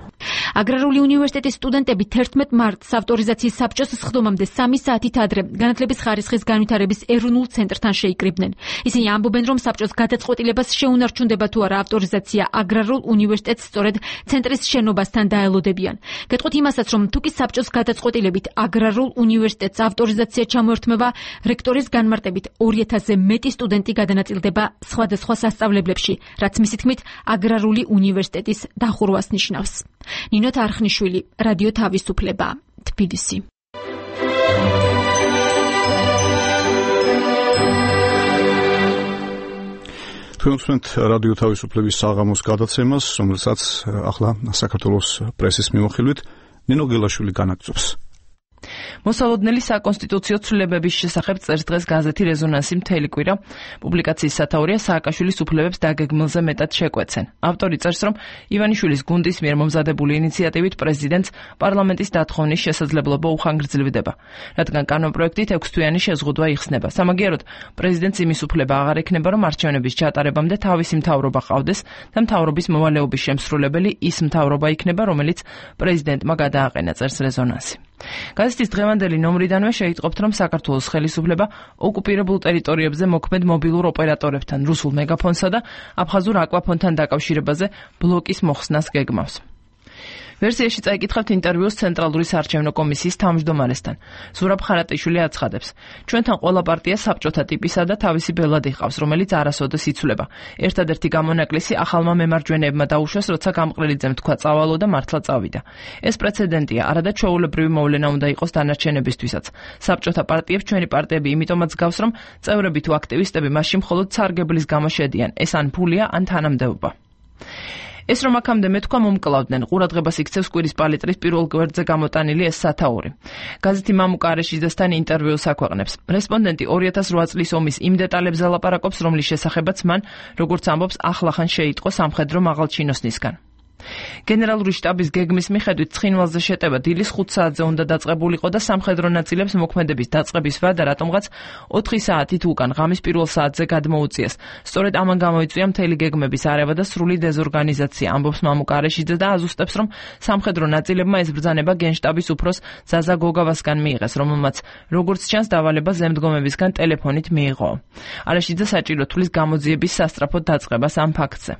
აგრარული უნივერსიტეტის სტუდენტები თერთმეტ მარტს ავტორიზაციის საბჭოს სხდომამდე სამი საათით ადრე განათლების ხარისხის განვითარების ეროვნულ ცენტრთან შეიკრიბნენ. ისინი ამბობენ, რომ საბჭოს გადაწყვეტილებას შეუნარჩუნდება თუ არა ავტორიზაცია აგრარულ უნივერსიტეტს სწორედ ცენტრის შენობასთან დაელოდებიან. გეტყვით იმასაც, რომ თუ კი საბჭოს გადაწყვეტილებით აგრარულ უნივერსიტეტს ავტორიზაცია ჩამოერთმევა, რექტორის განმარტებით ორი ათასზე მეტი სტუდენტი გადანაწილდება სხვადასხვა სასწავლებლებში, რაც მისი თქმით აგრარული უნივერსიტეტის დახურვას ნიშნავს. ნინო თარხნიშვილი, რადიო თავისუფლება, თბილისი. თქვენ უსმენთ რადიო თავისუფლების საღამოს გადაცემას, რომელსაც ახლა საქართველოს პრესის მიმოხილვით ნინო გელაშვილი განაგრძობს. მოსალოდნელი საკონსტიტუციო ცვლილებების შესახებ წერს დღეს გაზეთი რეზონანსი მთელი კვირა. პუბლიკაციის სათაურია სააკაშვილის უფლებებს დაგეგმილზე მეტად შეკვეცენ. ავტორი წერს, რომ ივანიშვილის გუნდის მიერ მომზადებული ინიციატივით პრეზიდენტს პარლამენტის დათხოვნის შესაძლებლობა უხანგრძლივდება, რადგან კანონპროექტით ექვსთვიანი შეზღუდვა იხსნება. სამაგიეროდ, პრეზიდენტს იმის უფლება აღარ ექნება, რომ არჩევნების ჩატარებამდე თავისი მთავრობა ყავდეს და მთავრობის მოვალეობის შემსრულებელი ის მთავრობა იქნება, რომელიც პრეზიდენტმა გადააყენა, წერს რეზონანსი. გაზეთის დღევანდელი ნომრიდანვე შეიტყობთ, რომ საქართველოს ხელისუფლება ოკუპირებულ ტერიტორიებზე მოქმედ მობილურ ოპერატორებთან, რუსულ მეგაფონსა და აფხაზურ აკვაფონთან დაკავშირებაზე ბლოკის მოხსნას გეგმავს. ვერსიაში წაიკითხავთ ინტერვიუს ცენტრალური საარჩევნო კომისიის თავმჯდომარესთან. ზურაბ ხარატიშვილი აცხადებს, ჩვენთან ყველა პარტია საბჭოთა ტიპისა და თავისი ბელად იყავს, რომელიც არასოდეს იცვლება. ერთადერთი გამონაკლისი ახალმა მემარჯვენეებმა დაუშვეს, როცა გამყრელიძემ თქვა წავალო და მართლა წავიდა. ეს პრეცედენტია, არადა ჩვეულებრივი მოვლენა უნდა იყოს დანარჩენებისთვისაც. საბჭოთა პარტიებს ჩვენი პარტიები იმიტომაც გავს, რომ წევრები თუ აქტივისტები მასში მხოლოდ სარგებლის გამო შედიან. ეს ან ფულია, ან თანამდებობა. ეს რომ აქამდე მეთქვა მომკლავდნენ, ყურადღებას იქცევს კვირის პალიტრის პირველ გვერდზე გამოტანილი ეს სათაური. გაზეთი მამუკა არეშიძესთან ინტერვიუს აქვეყნებს. რესპონდენტი ორი ათას რვა წლის ომის იმ დეტალებზე ლაპარაკობს, რომლის შესახებაც მან, როგორც ამბობს, ახლახან შეიტყო სამხედრო მაღალჩინოსნისგან. გენერალური შტაბის გეგმის მიხედვით ცხინვალზე შეტევა დილის ხუთ საათზე უნდა დაწყებულიყო და სამხედრო ნაწილებს მოქმედების დაწყების ვადა რატომღაც ოთხი საათით უკან ღამის პირველ საათზე გადმოუწიეს. სწორედ ამან გამოიწვია მთელი გეგმების არევა და სრული დეზორგანიზაცია, ამბობს მამუკ არეშიძე და აზუსტებს, რომ სამხედრო ნაწილებმა ეს ბრძანება გენშტაბის უფროს ზაზა გოგავასგან მიიღეს, რომელმაც როგორც ჩანს დავალება ზემდგომებისგან ტელეფონით მიიღო. არეშიძე საჭირო თვლის გამოძიების სასწრაფოდ დაწყებას ამ ფაქტზე.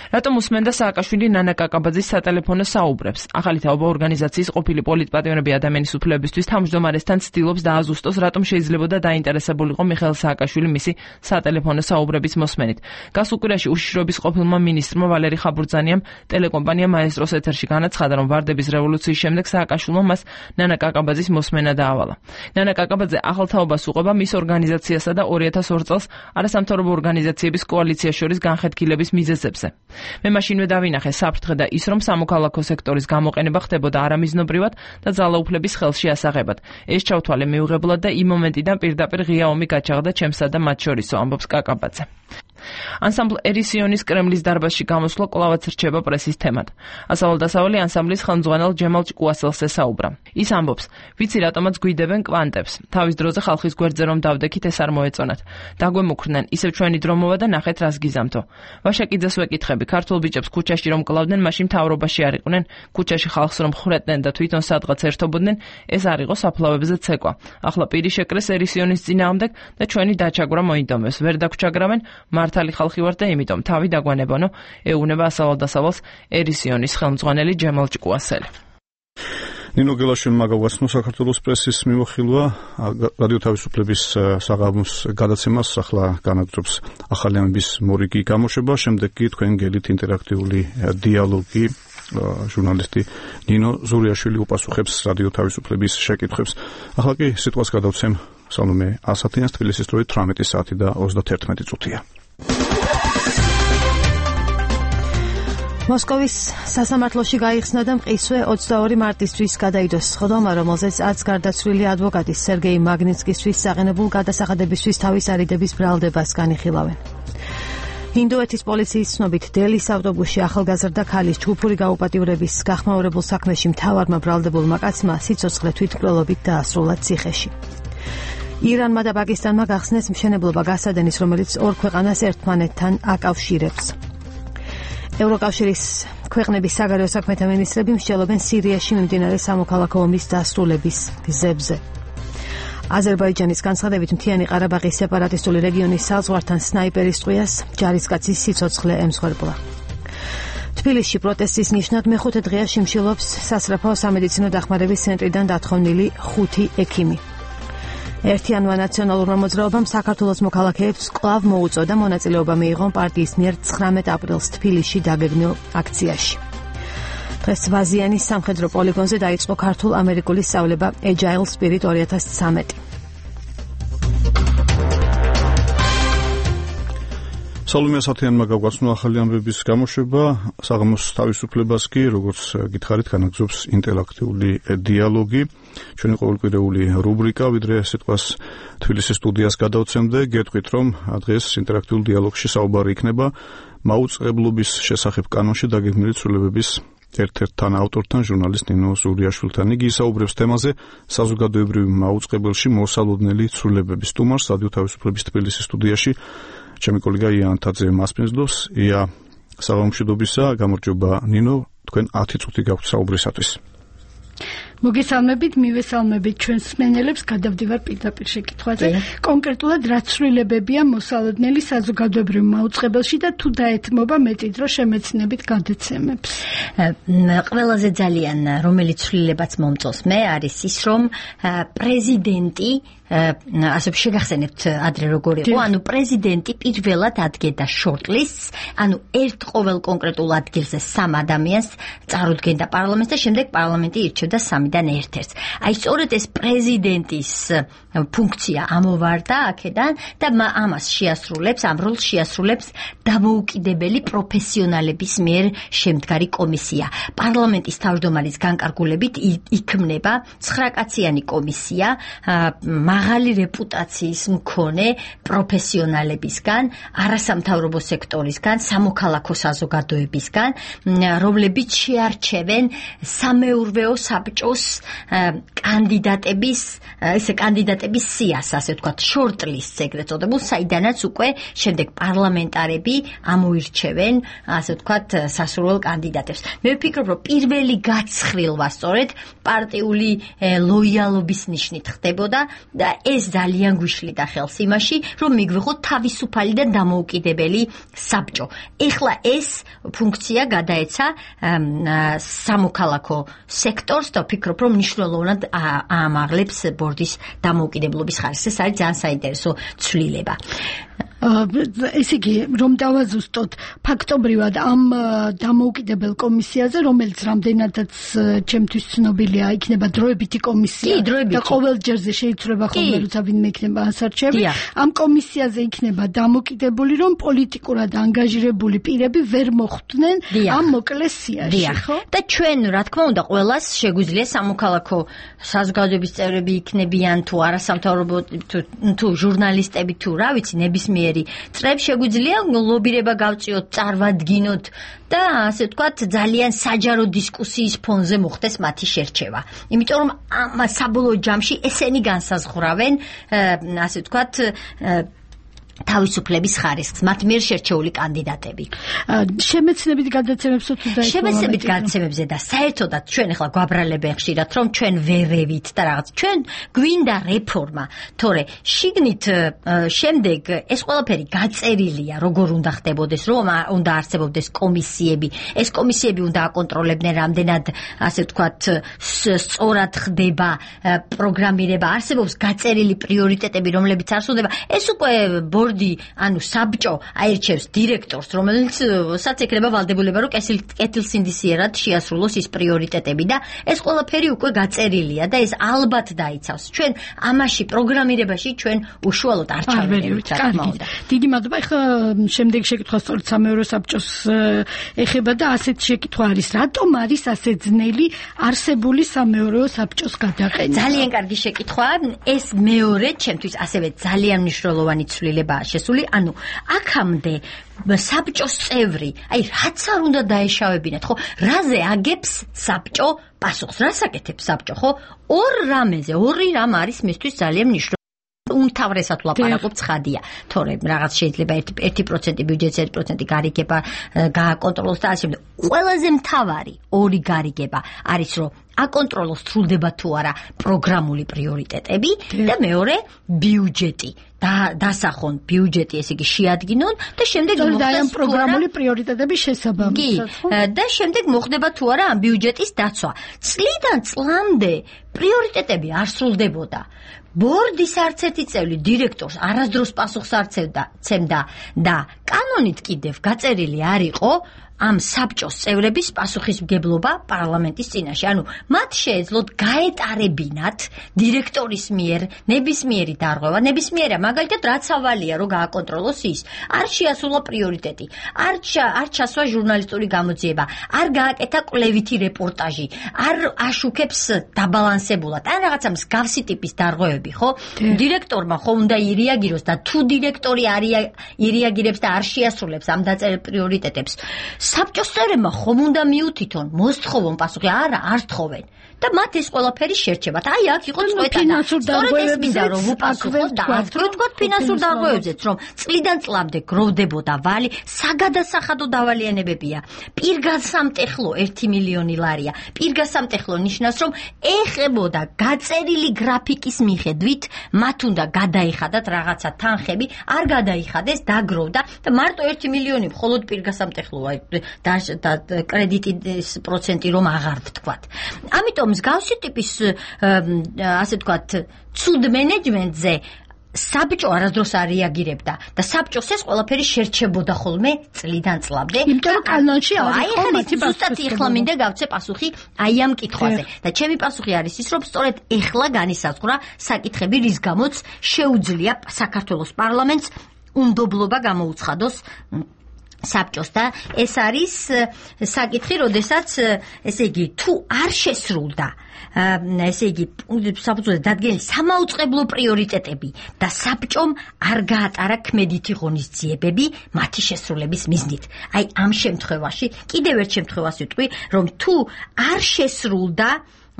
რატომ უსმენდა სააკაშვილი ნანა კაკაბაძის სატელეფონო საუბრებს? ახალი თაობა ორგანიზაციის ყოფილი პოლიტპატიმრები ადამიანის უფლებისთვის თავმჯდომარესთან ცდილობს დააზუსტოს, რატომ შეიძლებოდა დაინტერესებულიყო მიხეილ სააკაშვილი მისი სატელეფონო საუბრების მოსმენით. გასულ კვირაში უშიშროების ყოფილმა მინისტრმა ვალერი ხაბურძანიამ ტელეკომპანია მაესტროს ეთერში განაცხადა, რომ ვარდების რევოლუციის შემდეგ სააკაშვილმა მას ნანა კაკაბაძის მოსმენა დაავალა. ნანა კაკაბაძე ახალ თაობას უყვება მის ორგანიზაციასა და ორი ათას ორ წელს არასამთავრობო ორგანიზაციების კოალიციას შორის განხეთქილების მიზეზებზე. მე მაშინვე დავინახე საფრთხე და ის, რომ სამოქალაქო სექტორის გამოყენება ხდებოდა არამიზნობრივად და ძალაუფლების ხელში ასაღებად. ეს ჩავთვალე მიუღებლად და იმ მომენტიდან პირდაპირ ღია ომი გაჩაღდა ჩემსა და მათ შორისო, ამბობს კაკაბაძე. ანსამბლ ერისიონის კრემლის დარბაზში გამოსვლა კვლავაც რჩება პრესის თემად. ასავალ-დასავალი ანსამბლის ხელმძღვანელ ჯემალ ჭკუასელს ესაუბრა. ის ამბობს, ვიცი რატომაც გვიდებენ კვანტებს. თავის დროზე ხალხის გვერდზე რომ დავდექით, ეს არ მოეწონათ. დაგვემუქრნენ, ისევ ჩვენი დრო მოვა და ნახეთ რას გიზამთო. ვაშაკიძეს ვეკითხები, ქართულ ბიჭებს ქუჩაში რომ კლავდნენ, მაშინ მთავრობაში არ იყვნენ, ქუჩაში ხალხს რომ ხრეტდნენ და თვითონ სადღაც ერთობოდნენ, ეს არ იყო საფლავებზე ცეკვა. ახლა პირი შეკრეს ერისიონის წინააღმდეგ და ჩვენი დაჩაგვრა მოინდომეს. ვერ დაგვჩაგრავენ, მართალი ხალხი ვარ და იმიტომ თავი დაგვანებონო, ეუბნება ასავალ-დასავალს ერისიონის ხელმძღვანელი ჯემალ ჭკუასელი. ნინო გელაშვილმა გაუგაცნო საქართველოს პრესის მიმოხილვა რადიო თავისუფლების საღამოს გადაცემას, ახლა განაგრძობს ახალი ამბის მორიგი გამოშვება, შემდეგ კი თქვენ გელით ინტერაქტიული დიალოგი. ჟურნალისტი ნინო ზურიაშვილი უპასუხებს რადიო თავისუფლების შეკითხვებს. ახლა კი სიტყვას გადავცემ სალომე ასათიანს, თბილისის დროით თვრამეტი საათი და ოცდაათი წუთია. მოსკოვის სასამართლოში გაიხსნა და მყისვე ოცდაორი მარტისთვის გადაიდოს სხდომა, რომელზეც არც გარდაცვლილი ადვოკატის სერგეი მაგნიცკისთვის საყენებულ გადასახადებისთვის თავის არიდების ბრალდებას განიხილავენ. ინდოეთის პოლიციის ცნობით დელის ავტობუსში ახალგაზრდა ქალის ჯგუფური გაუპატიურების გახმაურებულ საქმეში მთავარმა ბრალდებულმა კაცმა სიცოცხლე თვითმკვლელობით დაასრულა ციხეში. ირანმა და პაკისტანმა გახსნეს მშენებლობა გასადენის, რომელიც ორ ქვეყანას ერთმანეთთან აკავშირებს. ევროკავშირის ქვეყნების საგარეო საქმეთა მინისტრები მსჯელობენ სირიაში მიმდინარე სამოქალაქო ომის დასრულების გზებზე. აზერბაიჯანის განცხადებით მთიანი ყარაბაღის სეპარატისტული რეგიონის საზღვართან სნაიპერის ტყვიას ჯარისკაცის სიცოცხლე ემსხვერპლა. თბილისში პროტესტის ნიშნად მეხუთე დღეა შიმშილობს სასწრაფო სამედიცინო დახმარების ცენტრიდან დათხოვნილი ხუთი ექიმი. ერთიანმა ნაციონალურმა მოძრაობამ საქართველოს მოქალაქეებს კვლავ მოუწოდა მონაწილეობა მიიღონ პარტიის მიერ ცხრამეტ აპრილს თბილისში დაგეგმილ აქციაში. დღეს ვაზიანის სამხედრო პოლიგონზე დაიწყო ქართულ-ამერიკული სწავლება Agile Spirit ორი ათას ცხრამეტი. სალომე ასათიანმა გაგვაცნო ახალი ამბების გამოშვება, საღამოს თავისუფლებას კი, როგორც გითხარით, განაგრძობს ინტერაქტიული დიალოგი. ჩვენი ყოველკვირეული რუბრიკა, ვიდრე სიტყვას თბილისის სტუდიას გადავცემდე, გეტყვით, რომ დღეს ინტერაქტიულ დიალოგში საუბარი იქნება მაუწყებლობის შესახებ კანონში დაგეგმილი ცვლილებების ერთ-ერთ თანაავტორთან, ჟურნალისტ ნინო ზურიაშვილთან. იგი ისაუბრებს თემაზე საზოგადოებრივი მაუწყებელში მოსალოდნელი ცვლილებების. სტუმარს რადიო თავისუფლების თბილისის სტუდიაში ჩემი კოლეგა ია ანთაძე მასპინძლობს. ია, საღამომშვიდობისა, გამარჯობა ნინო, თქვენ ათი წუთი გაქვთ საუბრისათვის. მოგესალმებით, მივესალმებით ჩვენს მსმენელებს, გადავდივარ პირდაპირ შეკითხვაზე. კონკრეტულად რა ცვლილებებია მოსალოდნელი საზოგადოებრივ მაუწყებელში და თუ დაეთმობა მეტი დრო შემეცნებით გადაცემებს? ყველაზე ძალიან რომელიც ცვლილებაც მომწონს მე არის ის, რომ პრეზიდენტი ასე შეგახსენებთ ადრე როგორ იყო, ანუ პრეზიდენტი პირველად ადგენდა შორტლისტს, ანუ ერთ ყოველ კონკრეტულ ადგილზე სამ ადამიანს წარუდგენდა პარლამენტს და შემდეგ პარლამენტი ირჩევდა სამი სამიდან ერთ-ერთს. აი სწორედ ეს პრეზიდენტის ფუნქცია ამოვარდა აქედან და ამას შეასრულებს, ამ როლს შეასრულებს დამოუკიდებელი პროფესიონალების მიერ შემდგარი კომისია. პარლამენტის თავმჯდომარის განკარგულებით იქმნება ცხრაკაციანი კომისია მაღალი რეპუტაციის მქონე პროფესიონალებისგან, არასამთავრობო სექტორისგან, სამოქალაქო საზოგადოებისგან, რომლებიც შეარჩევენ სამეურვეო საბჭოს კანდიდატების, ესე კანდიდატების სიას, ასე ვთქვათ, shortlist ეგრეთ წოდებულ, საიდანაც უკვე შემდეგ პარლამენტარები ამოირჩევენ, ასე ვთქვათ, სასურველ კანდიდატებს. მე ვფიქრობ, რომ პირველი გაცხრილვა სწორედ პარტიული ლოიალობის ნიშნით ხდებოდა და ეს ძალიან გვიშლიდა ხელს იმაში, რომ მიგვიღოთ თავისუფალი და დამოუკიდებელი საბჭო. ეხლა ეს ფუნქცია გადაეცა სამოქალაქო სექტორს და ვფიქრობ, რომ მნიშვნელოვნად აამაღლებს ბორდის დამოუკიდებლობის ხარისხს. ეს არის ძალიან საინტერესო ცვლილება. ესე იგი, რომ დავაზუსტოთ, ფაქტობრივად ამ დამოუკიდებელ კომისიაზე, რომელიც რამდენადაც ჩემთვის ცნობილია, იქნება დროებითი კომისია და ყოველ ჯერზე შეიცვლება ხოლმე, როცა ვინმე იქნება ასარჩევი. ამ კომისიაზე იქნება დამოკიდებული, რომ პოლიტიკურად ანგაჟირებული პირები ვერ მოხვდნენ ამ მოკლეს სიაში, ხო? და ჩვენ, რა თქმა უნდა, ყველას შეგვიძლია სამოქალაქო საზოგადოების წევრები იქნებიან თუ არასამთავრობო თუ ჟურნალისტები თუ რა ვიცი, ნებისმიერი წრებს შეგვიძლია ლობირება გავწიოთ, წარმოვადგინოთ და ასე ვთქვათ, ძალიან საჯარო დისკუსიის ფონზე მოხდეს მათი შერჩევა. იმიტომ რომ ამ საბოლოო ჯამში ესენი განსაზღვრავენ, ასე ვთქვათ, თავისუფლების ხარისხს, მათ მიერ შერჩეული კანდიდატები. შემეცნებით გადაცემებსო თუ და შემეცნებით გადაცემებზე და საერთოდაც ჩვენ ახლა გვაბრალებენ ხშირად, რომ ჩვენ ვერევით და რაღაც. ჩვენ გვინდა რეფორმა, თორე შიგნით შემდეგ ეს ყველაფერი გაწერილია, როგორ უნდა ხდებოდეს, რომ უნდა არსებობდეს კომისიები. ეს კომისიები უნდა აკონტროლებდნენ, რამდენად, ასე ვთქვათ, სწორად ხდება პროგრამირება, არსებობს გაწერილი პრიორიტეტები, რომლებიც არ სრულდება. ეს უკვე ბორდი, ანუ საბჭო აირჩევს დირექტორს, რომელსაც ეკრება ვალდებულება, რომ კეთილსინდისიერად შეასრულოს ის პრიორიტეტები და ეს ყველაფერი უკვე გაწერილია და ეს ალბათ დაიცავს. ჩვენ ამაში პროგრამირებაში ჩვენ უშუალოდ არ ჩავერევით, რა თქმა უნდა. დიდი მადლობა. ეხლა შემდეგი შეკითხვა სწორედ სამეურვეო საბჭოს ეხება და ასეთ შეკითხვა არის, რატომ არის ასე ძნელი არსებული სამეურვეო საბჭოს გადაყენება? ძალიან კარგი შეკითხვაა. ეს მეორე ჩემთვის ასევე ძალიან მნიშვნელოვანი ცვლილება შესული, ანუ აქამდე საბჭოს წევრი, აი რაც არ უნდა დაეშავებინათ, ხო? რაზე აგებს საბჭო პასუხს? რას აკეთებს საბჭო, ხო? ორ რამეზე, ორი რამ არის მისთვის ძალიან მნიშვნელოვანი. უმთავრესად ვლაპარაკობ ცხადია, თორე რაღაც შეიძლება ერთი პროცენტი ბიუჯეტის ერთი პროცენტი გარიგება გააკონტროლოს და ასე შემდეგ. ყველაზე მთავარი ორი გარიგება არის, რომ აკონტროლოს სრულდება თუ არა პროგრამული პრიორიტეტები და მეორე ბიუჯეტი. და დასახონ ბიუჯეტი, ესე იგი შეადგინონ და შემდეგ მოხდეს პროგრამული პრიორიტეტების შესაბამისად. და შემდეგ მოხდება თუ არა ამ ბიუჯეტის დაცვა. წლიდან წლამდე პრიორიტეტები არ სრულდებოდა. ბორდის არც ერთი წევრი დირექტორს არასდროს პასუხს არ ცემდა და კანონით კიდევ გაწერილი არ იყო ამ საბჭოს წევრების პასუხისმგებლობა პარლამენტის წინაშე. ანუ მათ შეეძლოთ გაეტარებინათ დირექტორის მიერ ნებისმიერი დარღვევა, ნებისმიერია, მაგალითად რაც ავალია, რომ გააკონტროლოს ის. არ შეასრულა პრიორიტეტი, არ არ ჩასვა ჟურნალისტური გამოძიება, არ გააკეთა კვლევითი რეპორტაჟი, არ აშუქებს დაბალანსებულად. ან რაღაცა მსგავსი ტიპის დარღვევები, ხო? დირექტორმა ხომ უნდა ირეაგიროს და თუ დირექტორი არ ირეაგირებს და არ შეასრულებს ამ დაწერილ პრიორიტეტებს, საბჭოს წევრებმა ხომ უნდა მიუთითონ, მოსთხოვონ პასუხი, არა, არ თხოვენ. და მათ ეს ყველაფერი შერჩებათ. აი აქ იყო წვეტა. სწორედ ეს მინდა რომ უპასუხოთ და თქვათ ფინანსურ დარღვევებზეც, რომ წლიდან წლამდე გროვდებოდა ვალი, საგადასახადო დავალიანებებია. პირგასამტეხლო ერთი მილიონი ლარია. პირგასამტეხლო ნიშნავს, რომ ეხებოდა გაწერილი გრაფიკის მიხედვით, მათ უნდა გადაიხადათ რაღაცა თანხები, არ გადაიხადეს, დაგროვდა და მარტო ერთი მილიონი მხოლოდ პირგასამტეხლოა და კრედიტის პროცენტი რომ აღარ ვთქვათ. ამიტომ მსგავსი ტიპის ასე ვთქვათ, ცუდ მენეჯმენტზე საბჭო არასდროს არ რეაგირებდა და საბჭოს ეს ყველაფერი შერჩებოდა ხოლმე წლიდან წლამდე. იმიტომ რომ კანონში აი ახლა ზუსტად ეხლა მინდა გავცე პასუხი აი ამ კითხვაზე და ჩემი პასუხი არის ის რომ სწორედ ეხლა განისაზღვრა საკითხები რის გამოც შეუძლია საქართველოს პარლამენტს უნდობლობა გამოუცხადოს საბჭოს და ეს არის საკითხი, როდესაც ესე იგი თუ არ შესრულდა ესე იგი საფუძველზე დადგენილი სამაუწყებლო პრიორიტეტები და საბჭომ არ გაატარა ქმედითი ღონისძიებები მათი შესრულების მიზნით. აი ამ შემთხვევაში კიდევ ერთ შემთხვევას ვიტყვი, რომ თუ არ შესრულდა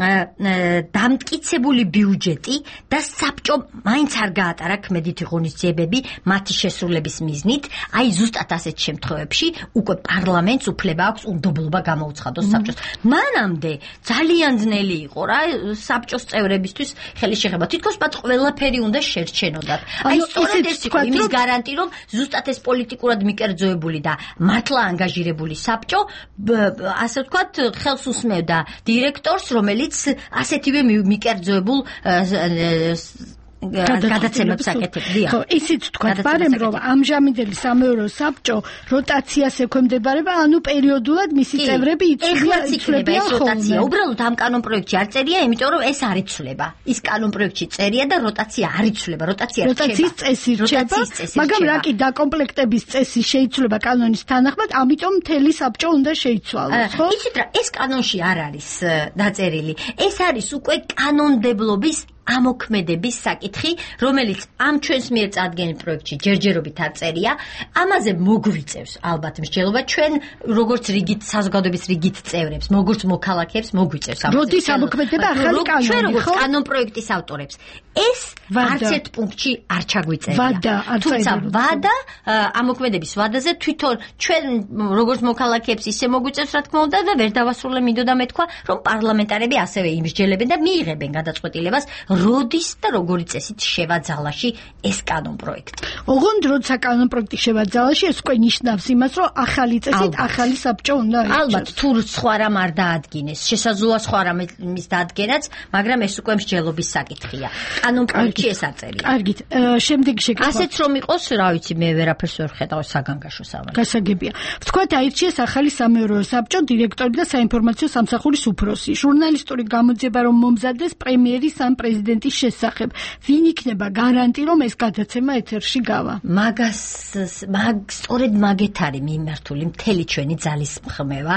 დამტკიცებული ბიუჯეტი და საბჭომ მაინც არ გაატარა ქმედითი ღონისძიებები მათი შესრულების მიზნით, აი ზუსტად ასეთ შემთხვევებში უკვე პარლამენტს უფლება აქვს უნდობლობა გამოუცხადოს საბჭოს. მანამდე ძალიან ძნელი იყო რა საბჭოს წევრებისთვის ხელი შეხება. თითქოს მათ ყველაფერი უნდა შერჩენოდათ. აი სწორედ ეს იყო იმის გარანტი, რომ ზუსტად ეს პოლიტიკურად მიკერძოებული და მართლა ანგაჟირებული საბჭო ასე ვთქვათ ხელს უსმევდა დირექტორს, რომელიც ასეთივე მიკერძოებულ გადაცემებს აკეთებდა. ხო, ისიც თქვა ბარემ რომ ამჟამინდელი სამეურვეო საბჭო როტაციას ექვემდებარება, ანუ პერიოდულად მისი წევრები იცვლება ეს როტაცია. უბრალოდ ამ კანონ პროექტში არ წერია, იმიტომ რომ ეს არ იცვლება. ის კანონ პროექტში წერია და როტაცია არ იცვლება. როტაცია რჩება. როტაციის წესი რჩება, მაგრამ რა კი დაკომპლექტების წესი შეიცვლება კანონის თანახმად, ამიტომ მთელი საბჭო უნდა შეიცვალოს, ხო? იცით რა, ეს კანონში არ არის დაწერილი. ეს არის უკვე კანონმდებლობის ამოქმედების საკითხი, რომელიც ამ ჩვენს მიერ წარდგენილ პროექტში ჯერჯერობით არ წერია, ამაზე მოგვიწევს ალბათ მსჯელობა ჩვენ როგორც რიგით საზოგადოების რიგით წევრებს, როგორც მოქალაქეებს მოგვიწევს ამაზე. როდის ამოქმედება ახალი კანონი, ჩვენ როგორც კანონ პროექტის ავტორებს, ეს არც ერთ პუნქტში არ ჩაგვიწერია. ვადა, თუმცა ვადა ამოქმედების ვადაზე თვითონ ჩვენ როგორც მოქალაქეებს ისე მოგვიწევს რა თქმა უნდა და ვერ დავასრულე მინდოდა მეთქვა, რომ პარლამენტარები ასევე იმსჯელებენ და მიიღებენ გადაწყვეტილებას როდის და როგორი წესით შევაძალაში ეს კანონ პროექტი. ოღონდ როცა კანონ პროექტი შევაძალაში, ეს უკვე ნიშნავს იმას, რომ ახალი წესით ახალი საბჭო უნდა იყოს. ალბათ თუ სხვა რამ არ დაადგინეს, შესაძლოა სხვა რამის დაადგენაც, მაგრამ ეს უკვე მსჯელობის საკითხია. კანონ პროექტში ეს არ წერია. კარგით, შემდეგი შეკითხვა. ასეც რომ იყოს, რა ვიცი, მე ვერაფერს ვერ ხედავ საგანგაშო სამართლს. გასაგებია. ვთქვათ, აირჩიეს ახალი სამეურვეო საბჭო დირექტორი და საინფორმაციო სამსახურის უფროსი. ჟურნალისტური გამოძიება რომ მომზადდეს პრემიერის ან პრეზიდენტის შესახებ. ვინ იქნება გარანტი, რომ ეს გადაცემა ეთერში გავა? მაგას მაგ სწორედ მაგეთ არის მიმართული მთელი ჩვენი ძალისხმევა,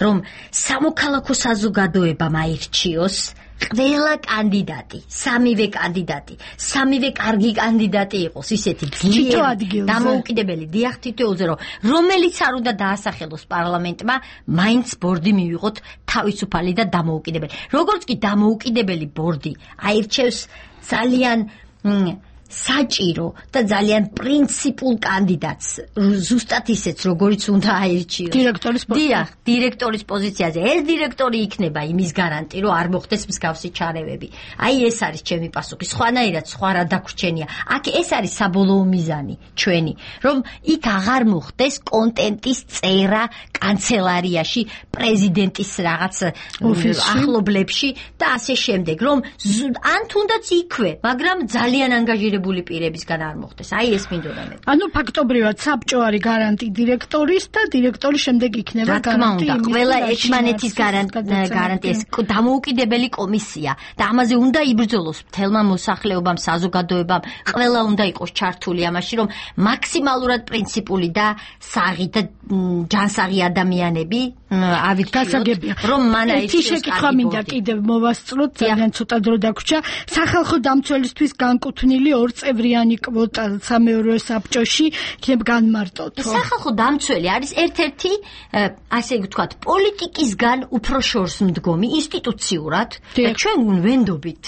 რომ სამოქალაქო საზოგადოებამ აირჩიოს ყველა კანდიდატი, სამივე კანდიდატი, სამივე კარგი კანდიდატი იყოს ისეთი ძლიერი დამოუკიდებელი დიახ თითოეულზე, რომ რომელიც არ უნდა დაასახელოს პარლამენტმა, მაინც ბორდი მივიღოთ თავისუფალი და დამოუკიდებელი. როგორც კი დამოუკიდებელი ბორდი აირჩევს ძალიან საჭირო და ძალიან პრინციპულ კანდიდატს, ზუსტად ისეც, როგორიც უნდა აირჩიოს. დირექტორის პოზიციაზე. დიახ, დირექტორის პოზიციაზე. ეს დირექტორი იქნება იმის გარანტი, რომ არ მოხდეს მსგავსი ჩარევები. აი ეს არის ჩემი პასუხი. სხვანაირად სხვა რა დაგვრჩენია. აქ ეს არის საბოლოო მიზანი ჩვენი, რომ იქ აღარ მოხდეს კონტენტის წერა კანცელარიაში, პრეზიდენტის რაღაც ახლობლებში და ასე შემდეგ, რომ ან თუნდაც იქვე, მაგრამ ძალიან ანგაჟირებული პირებისგან არ მოხდეს. აი ეს მინდოდა მე. ანუ ფაქტობრივად საბჭო არის გარანტი დირექტორის და დირექტორი შემდეგ იქნება გარანტი. რა თქმა უნდა, ყველა ერთმანეთის გარანტი ეს დამოუკიდებელი კომისია და ამაზე უნდა იბრძოლოს მთელმა მოსახლეობამ, საზოგადოებამ, ყველა უნდა იყოს ჩართული ამაში, რომ მაქსიმალურად პრინციპული და საღი და ჯანსაღი ადამიანები ავიქციოთ, რომ მან აირჩიოს. ერთი შეკითხვა მინდა კიდევ მოვასწროთ, ძალიან ცოტა დრო დაგვრჩა. სახალხო დამცველისთვის განკუთვნილი ორწევრიანი კვოტა სამეურვეო საბჭოში იქნებ განმარტოთ. სახალხო დამცველი არის ერთ-ერთი ასე ვთქვათ, პოლიტიკისგან უფრო შორს მდგომი ინსტიტუციურად და ჩვენ ვენდობით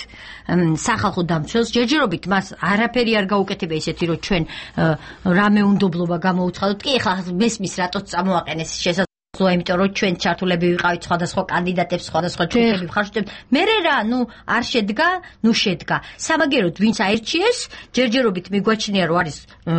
სახალხო დამცველს, ჯერჯერობით მას არაფერი არ გაუკეთება ისეთი, რომ ჩვენ რამე უნდობლობა გამოუცხადოთ. კი, ეხლა მესმის რატო წამოაყენეს შესაძლოა ხო, იმიტომ რომ ჩვენ ჩართულები ვიყავით სხვადასხვა კანდიდატებს, სხვადასხვა ჯგუფები ვხარშდებთ. მე რა, ნუ არ შედგა, ნუ შედგა. სამაგეროდ ვინც აირჩიეს, ჯერჯერობით მიგვაჩნია რომ არის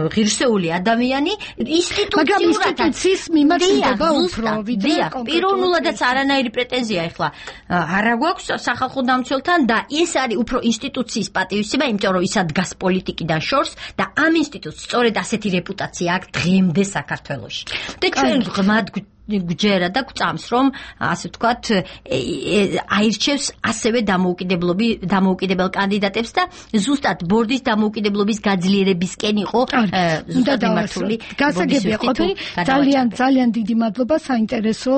ღირსეული ადამიანი, ინსტიტუციურად ინსტიტუციის მიმართულება უფრო ვიდრე პიროვნულადაც არანაირი პრეტენზია ეხლა არ გვაქვს სახალხო დამცველთან და ეს არის უფრო ინსტიტუციის პატივისცემა, იმიტომ რომ ისა დგას პოლიტიკიდან შორს და ამ ინსტიტუტს სწორედ ასეთი რეპუტაცია აქვს დღემდე საქართველოში. და ჩვენ ღმად გჯერა და გვწამს რომ ასე ვთქვათ აირჩევს ასევე დამოუკიდებლობი დამოუკიდებელ კანდიდატებს და ზუსტად ბორდის დამოუკიდებლობის გაძლიერებისკენ იყო ზუსტად მიმართული. გასაგებია ყოფილი. ძალიან ძალიან დიდი მადლობა საინტერესო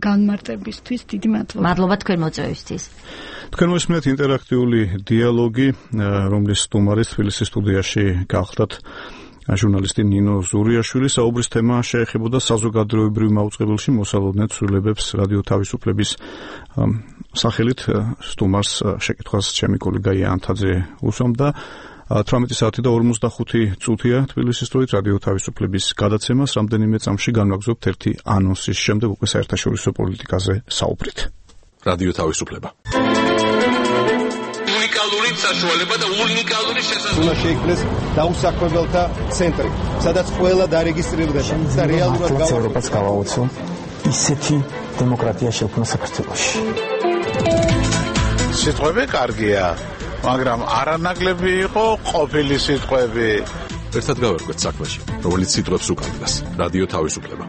განმარტებისთვის. დიდი მადლობა. მადლობა თქვენ მოწვევისთვის. თქვენ მოსმენთ ინტერაქტიული დიალოგი, რომლის სტუმარი თბილისის სტუდიაში გახლდათ ჟურნალისტი ნინო ზურიაშვილი. საუბრის თემა შეეხებოდა საზოგადოებრივ მაუწყებელში მოსალოდნელ ცვლილებებს რადიო თავისუფლების სახელით. სტუმარს შეკითხვას ჩემი კოლეგა იანთაძე უსვამდა. თვრამეტი საათი და ორმოცდახუთი წუთია თბილისის დროით რადიო თავისუფლების გადაცემას. რამდენიმე წამში განვაგრძობთ ერთი ანონსის შემდეგ უკვე საერთაშორისო პოლიტიკაზე საუბრით. რადიო თავისუფლება. უნიკალური საშუალება და უნიკალური შესაძლებლობა. უნდა შეიქმნეს დაუსაქმებელთა ცენტრი, სადაც ყველა დარეგისტრირდება და რეალურად ევროპას გავაოცო ისეთი დემოკრატია შექმნა საქართველოში. სიტყვები კარგია, მაგრამ არანაკლები იყო ყოფილი სიტყვები. ერთად გავერკვეთ საქმეში, რომელიც სიტყვებს უკავშირდება. რადიო თავისუფლება.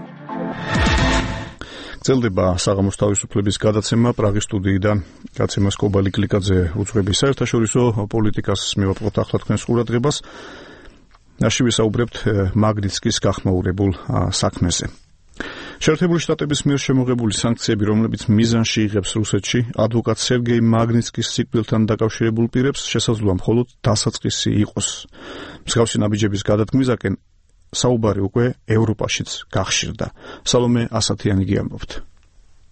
გრძელდება საღამოს თავისუფლების გადაცემა პრაღის სტუდიიდან. გადაცემას კობალი კლიკაძე უძღვების საერთაშორისო პოლიტიკას მივაპყრობთ ახლა თქვენს ყურადღებას. ნაში ვისაუბრებთ მაგნიტსკის გახმაურებულ საქმეზე. შეერთებული შტატების მიერ შემოღებული სანქციები, რომლებიც მიზანში იღებს რუსეთში ადვოკატ სერგეი მაგნიტსკის სიკვდილთან დაკავშირებულ პირებს, შესაძლოა მხოლოდ დასაწყისი იყოს. მსგავსი ნაბიჯების გადადგმისაკენ საუბარი უკვე ევროპაშიც გახშირდა. სალომე ასათიანი გიამბობთ.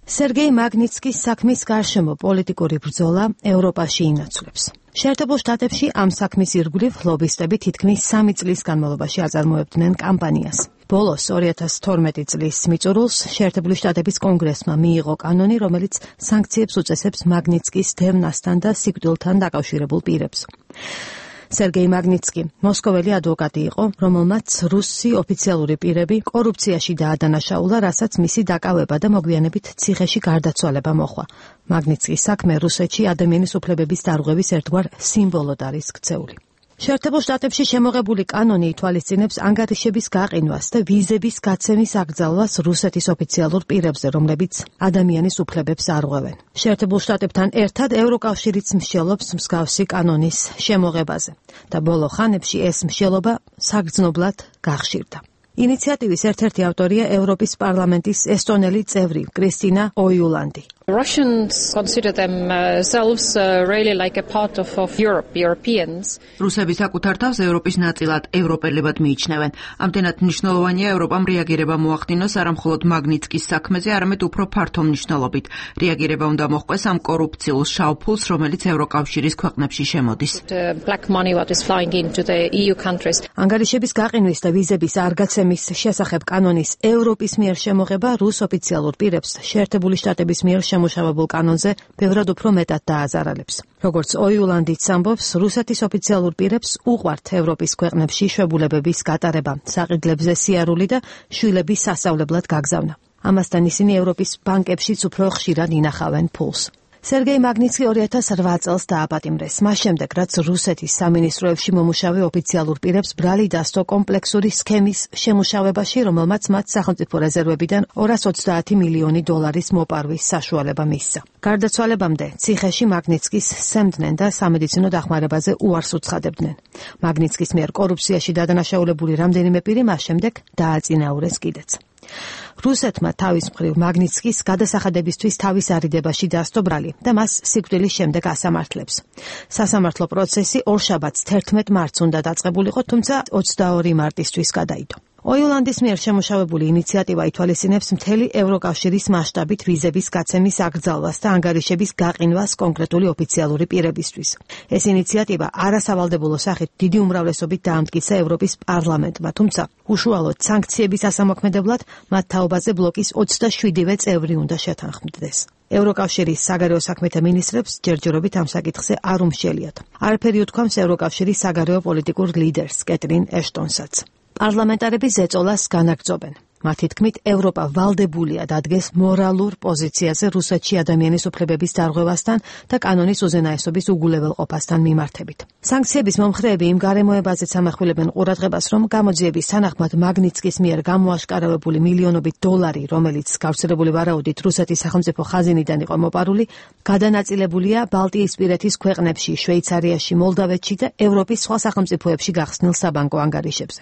სერგეი მაგნიტსკის საქმის გარშემო პოლიტიკური ბრძოლა ევროპაში ინაცვლებს. შეერთებულ შტატებში ამ საქმის ირგვლივ ლობისტები თითქმის სამი წლის განმავლობაში აწარმოებდნენ კამპანიას. ბოლოს ორი ათას თორმეტი წლის მიწურულს შეერთებული შტატების კონგრესმა მიიღო კანონი, რომელიც სანქციებს უწესებს მაგნიტსკის დევნასთან და სიკვდილთან დაკავშირებულ პირებს. სერგეი მაგნიტსკი მოსკოველი ადვოკატი იყო, რომელმაც რუსი ოფიციალური პირები კორუფციაში დაადანაშაულა, რასაც მისი დაკავება და მოგვიანებით ციხეში გარდაცვალება მოჰყვა. მაგნიტსკის საქმე რუსეთში ადამიანის უფლებების დარღვევის ერთგვარ სიმბოლოდ არის ქცეული. შეერთებულ შტატებში შემოღებული კანონი ითვალისწინებს ანგარიშების გაყინვას და ვიზების გაცემის აკრძალვას რუსეთის ოფიციალურ პირებზე, რომლებიც ადამიანის უფლებებს არღვევენ. შეერთებულ შტატებთან ერთად ევროკავშირიც მსჯელობს მსგავსი კანონის შემოღებაზე და ბოლო ხანებში ეს მსჯელობა საგრძნობლად გახშირდა. ინიციატივის ერთ-ერთი ავტორია ევროპის პარლამენტის ესტონელი წევრი კრისტინა ოიულანდი. Russians consider themselves uh, really like a part of, of Europe, Europeans. რუსები საკუთარ თავს ევროპის ნაწილად, ევროპელებად მიიჩნევენ. ამდენად მნიშვნელოვანია ევროპამ რეაგირება მოახდინოს არა მხოლოდ მაგნიტსკის საქმეზე, არამედ უფრო ფართო მნიშვნელობით. რეაგირება უნდა მოჰყვეს ამ კორუფციულ შავფულს, რომელიც ევროკავშირის ქვეყნებში შემოდის. Black money what is flying into the E U countries. ანგარიშების გაყინვის და ვიზების არ გაცემის შესახებ კანონის ევროპის მიერ შემოღება რუს ოფიციალურ პირებს შეერთებული შტატების მიერ შემუშავებულ კანონზე ბევრად უფრო მეტად დააზარალებს. როგორც ოიულანდიც ამბობს, რუსეთის ოფიციალურ პირებს უყვართ ევროპის ქვეყნებში შვებულებების გატარება, საყიდლებზე სიარული და შვილების სასწავლებლად გაგზავნა. ამასთან ისინი ევროპის ბანკებშიც უფრო ხშირად ინახავენ ფულს. სერგეი მაგნიტსკი ორი ათას რვა წელს დააპატიმრეს, მას შემდეგ, რაც რუსეთის სამინისტროებში მომუშავე ოფიციალურ პირებს ბრალი დასდო კომპლექსური სქემის შემუშავებაში, რომელმაც მათ სახელმწიფო რეზერვებიდან ორას ოცდაათი მილიონი დოლარის მოპარვის საშუალება მისცა. გარდაცვალებამდე ციხეში მაგნიტსკის სემდნენ და სამედიცინო დახმარებაზე უარს უცხადებდნენ. მაგნიტსკის მიერ კორუფციაში დადანაშაულებული რამდენიმე პირი მას შემდეგ დააწინაურეს კიდეც. რუსეთმა თავის მხრივ მაგნიტსკის გადასახადებისთვის თავის არიდებაში დასდო ბრალი და მას სიკვდილის შემდეგ ასამართლებს. სასამართლო პროცესი ორშაბათს თერთმეტ მარტს უნდა დაწყებულიყო, თუმცა ოცდაორი მარტისთვის გადაიდო. ოილანდის მიერ შემუშავებული ინიციატივა ითვალისწინებს მთელი ევროკავშირის მასშტაბით ვიზების გაცემის აკრძალვას და ანგარიშების გაყინვას კონკრეტული ოფიციალური პირებისთვის. ეს ინიციატივა არასავალდებულო სახით დიდი უმრავლესობით დაამტკიცა ევროპის პარლამენტმა, თუმცა უშუალოდ სანქციების ასამოქმედებლად მათ თაობაზე ბლოკის ოცდაშვიდივე წევრი უნდა შეთანხმდეს. ევროკავშირის საგარეო საქმეთა მინისტრებს ჯერჯერობით ამ საკითხზე არ უმშელიათ. არაფერი უთქვამს ევროკავშირის საგარეო პოლიტიკურ ლიდერს კეტრინ ეშტონსაც. პარლამენტარები ზეწოლას განაგრძობენ. მათი თქმით, ევროპა ვალდებულია დადგეს მორალურ პოზიციაზე რუსეთში ადამიანის უფლებების დარღვევასთან და კანონის უზენაესობის უგულებელყოფასთან მიმართებით. სანქციების მომხრეები იმ გარემოებაზეც ამახვილებენ ყურადღებას, რომ გამოძიების თანახმად მაგნიცკის მიერ გამოაშკარავებული მილიონობით დოლარი, რომელიც გავრცელებული ვარაუდით რუსეთის სახელმწიფო ხაზინიდან იყო მოპარული, გადანაწილებულია ბალტიისპირეთის ქვეყნებში, შვეიცარიაში, მოლდავეთში და ევროპის სხვა სახელმწიფოებში გახსნილ საბანკო ანგარიშებზე.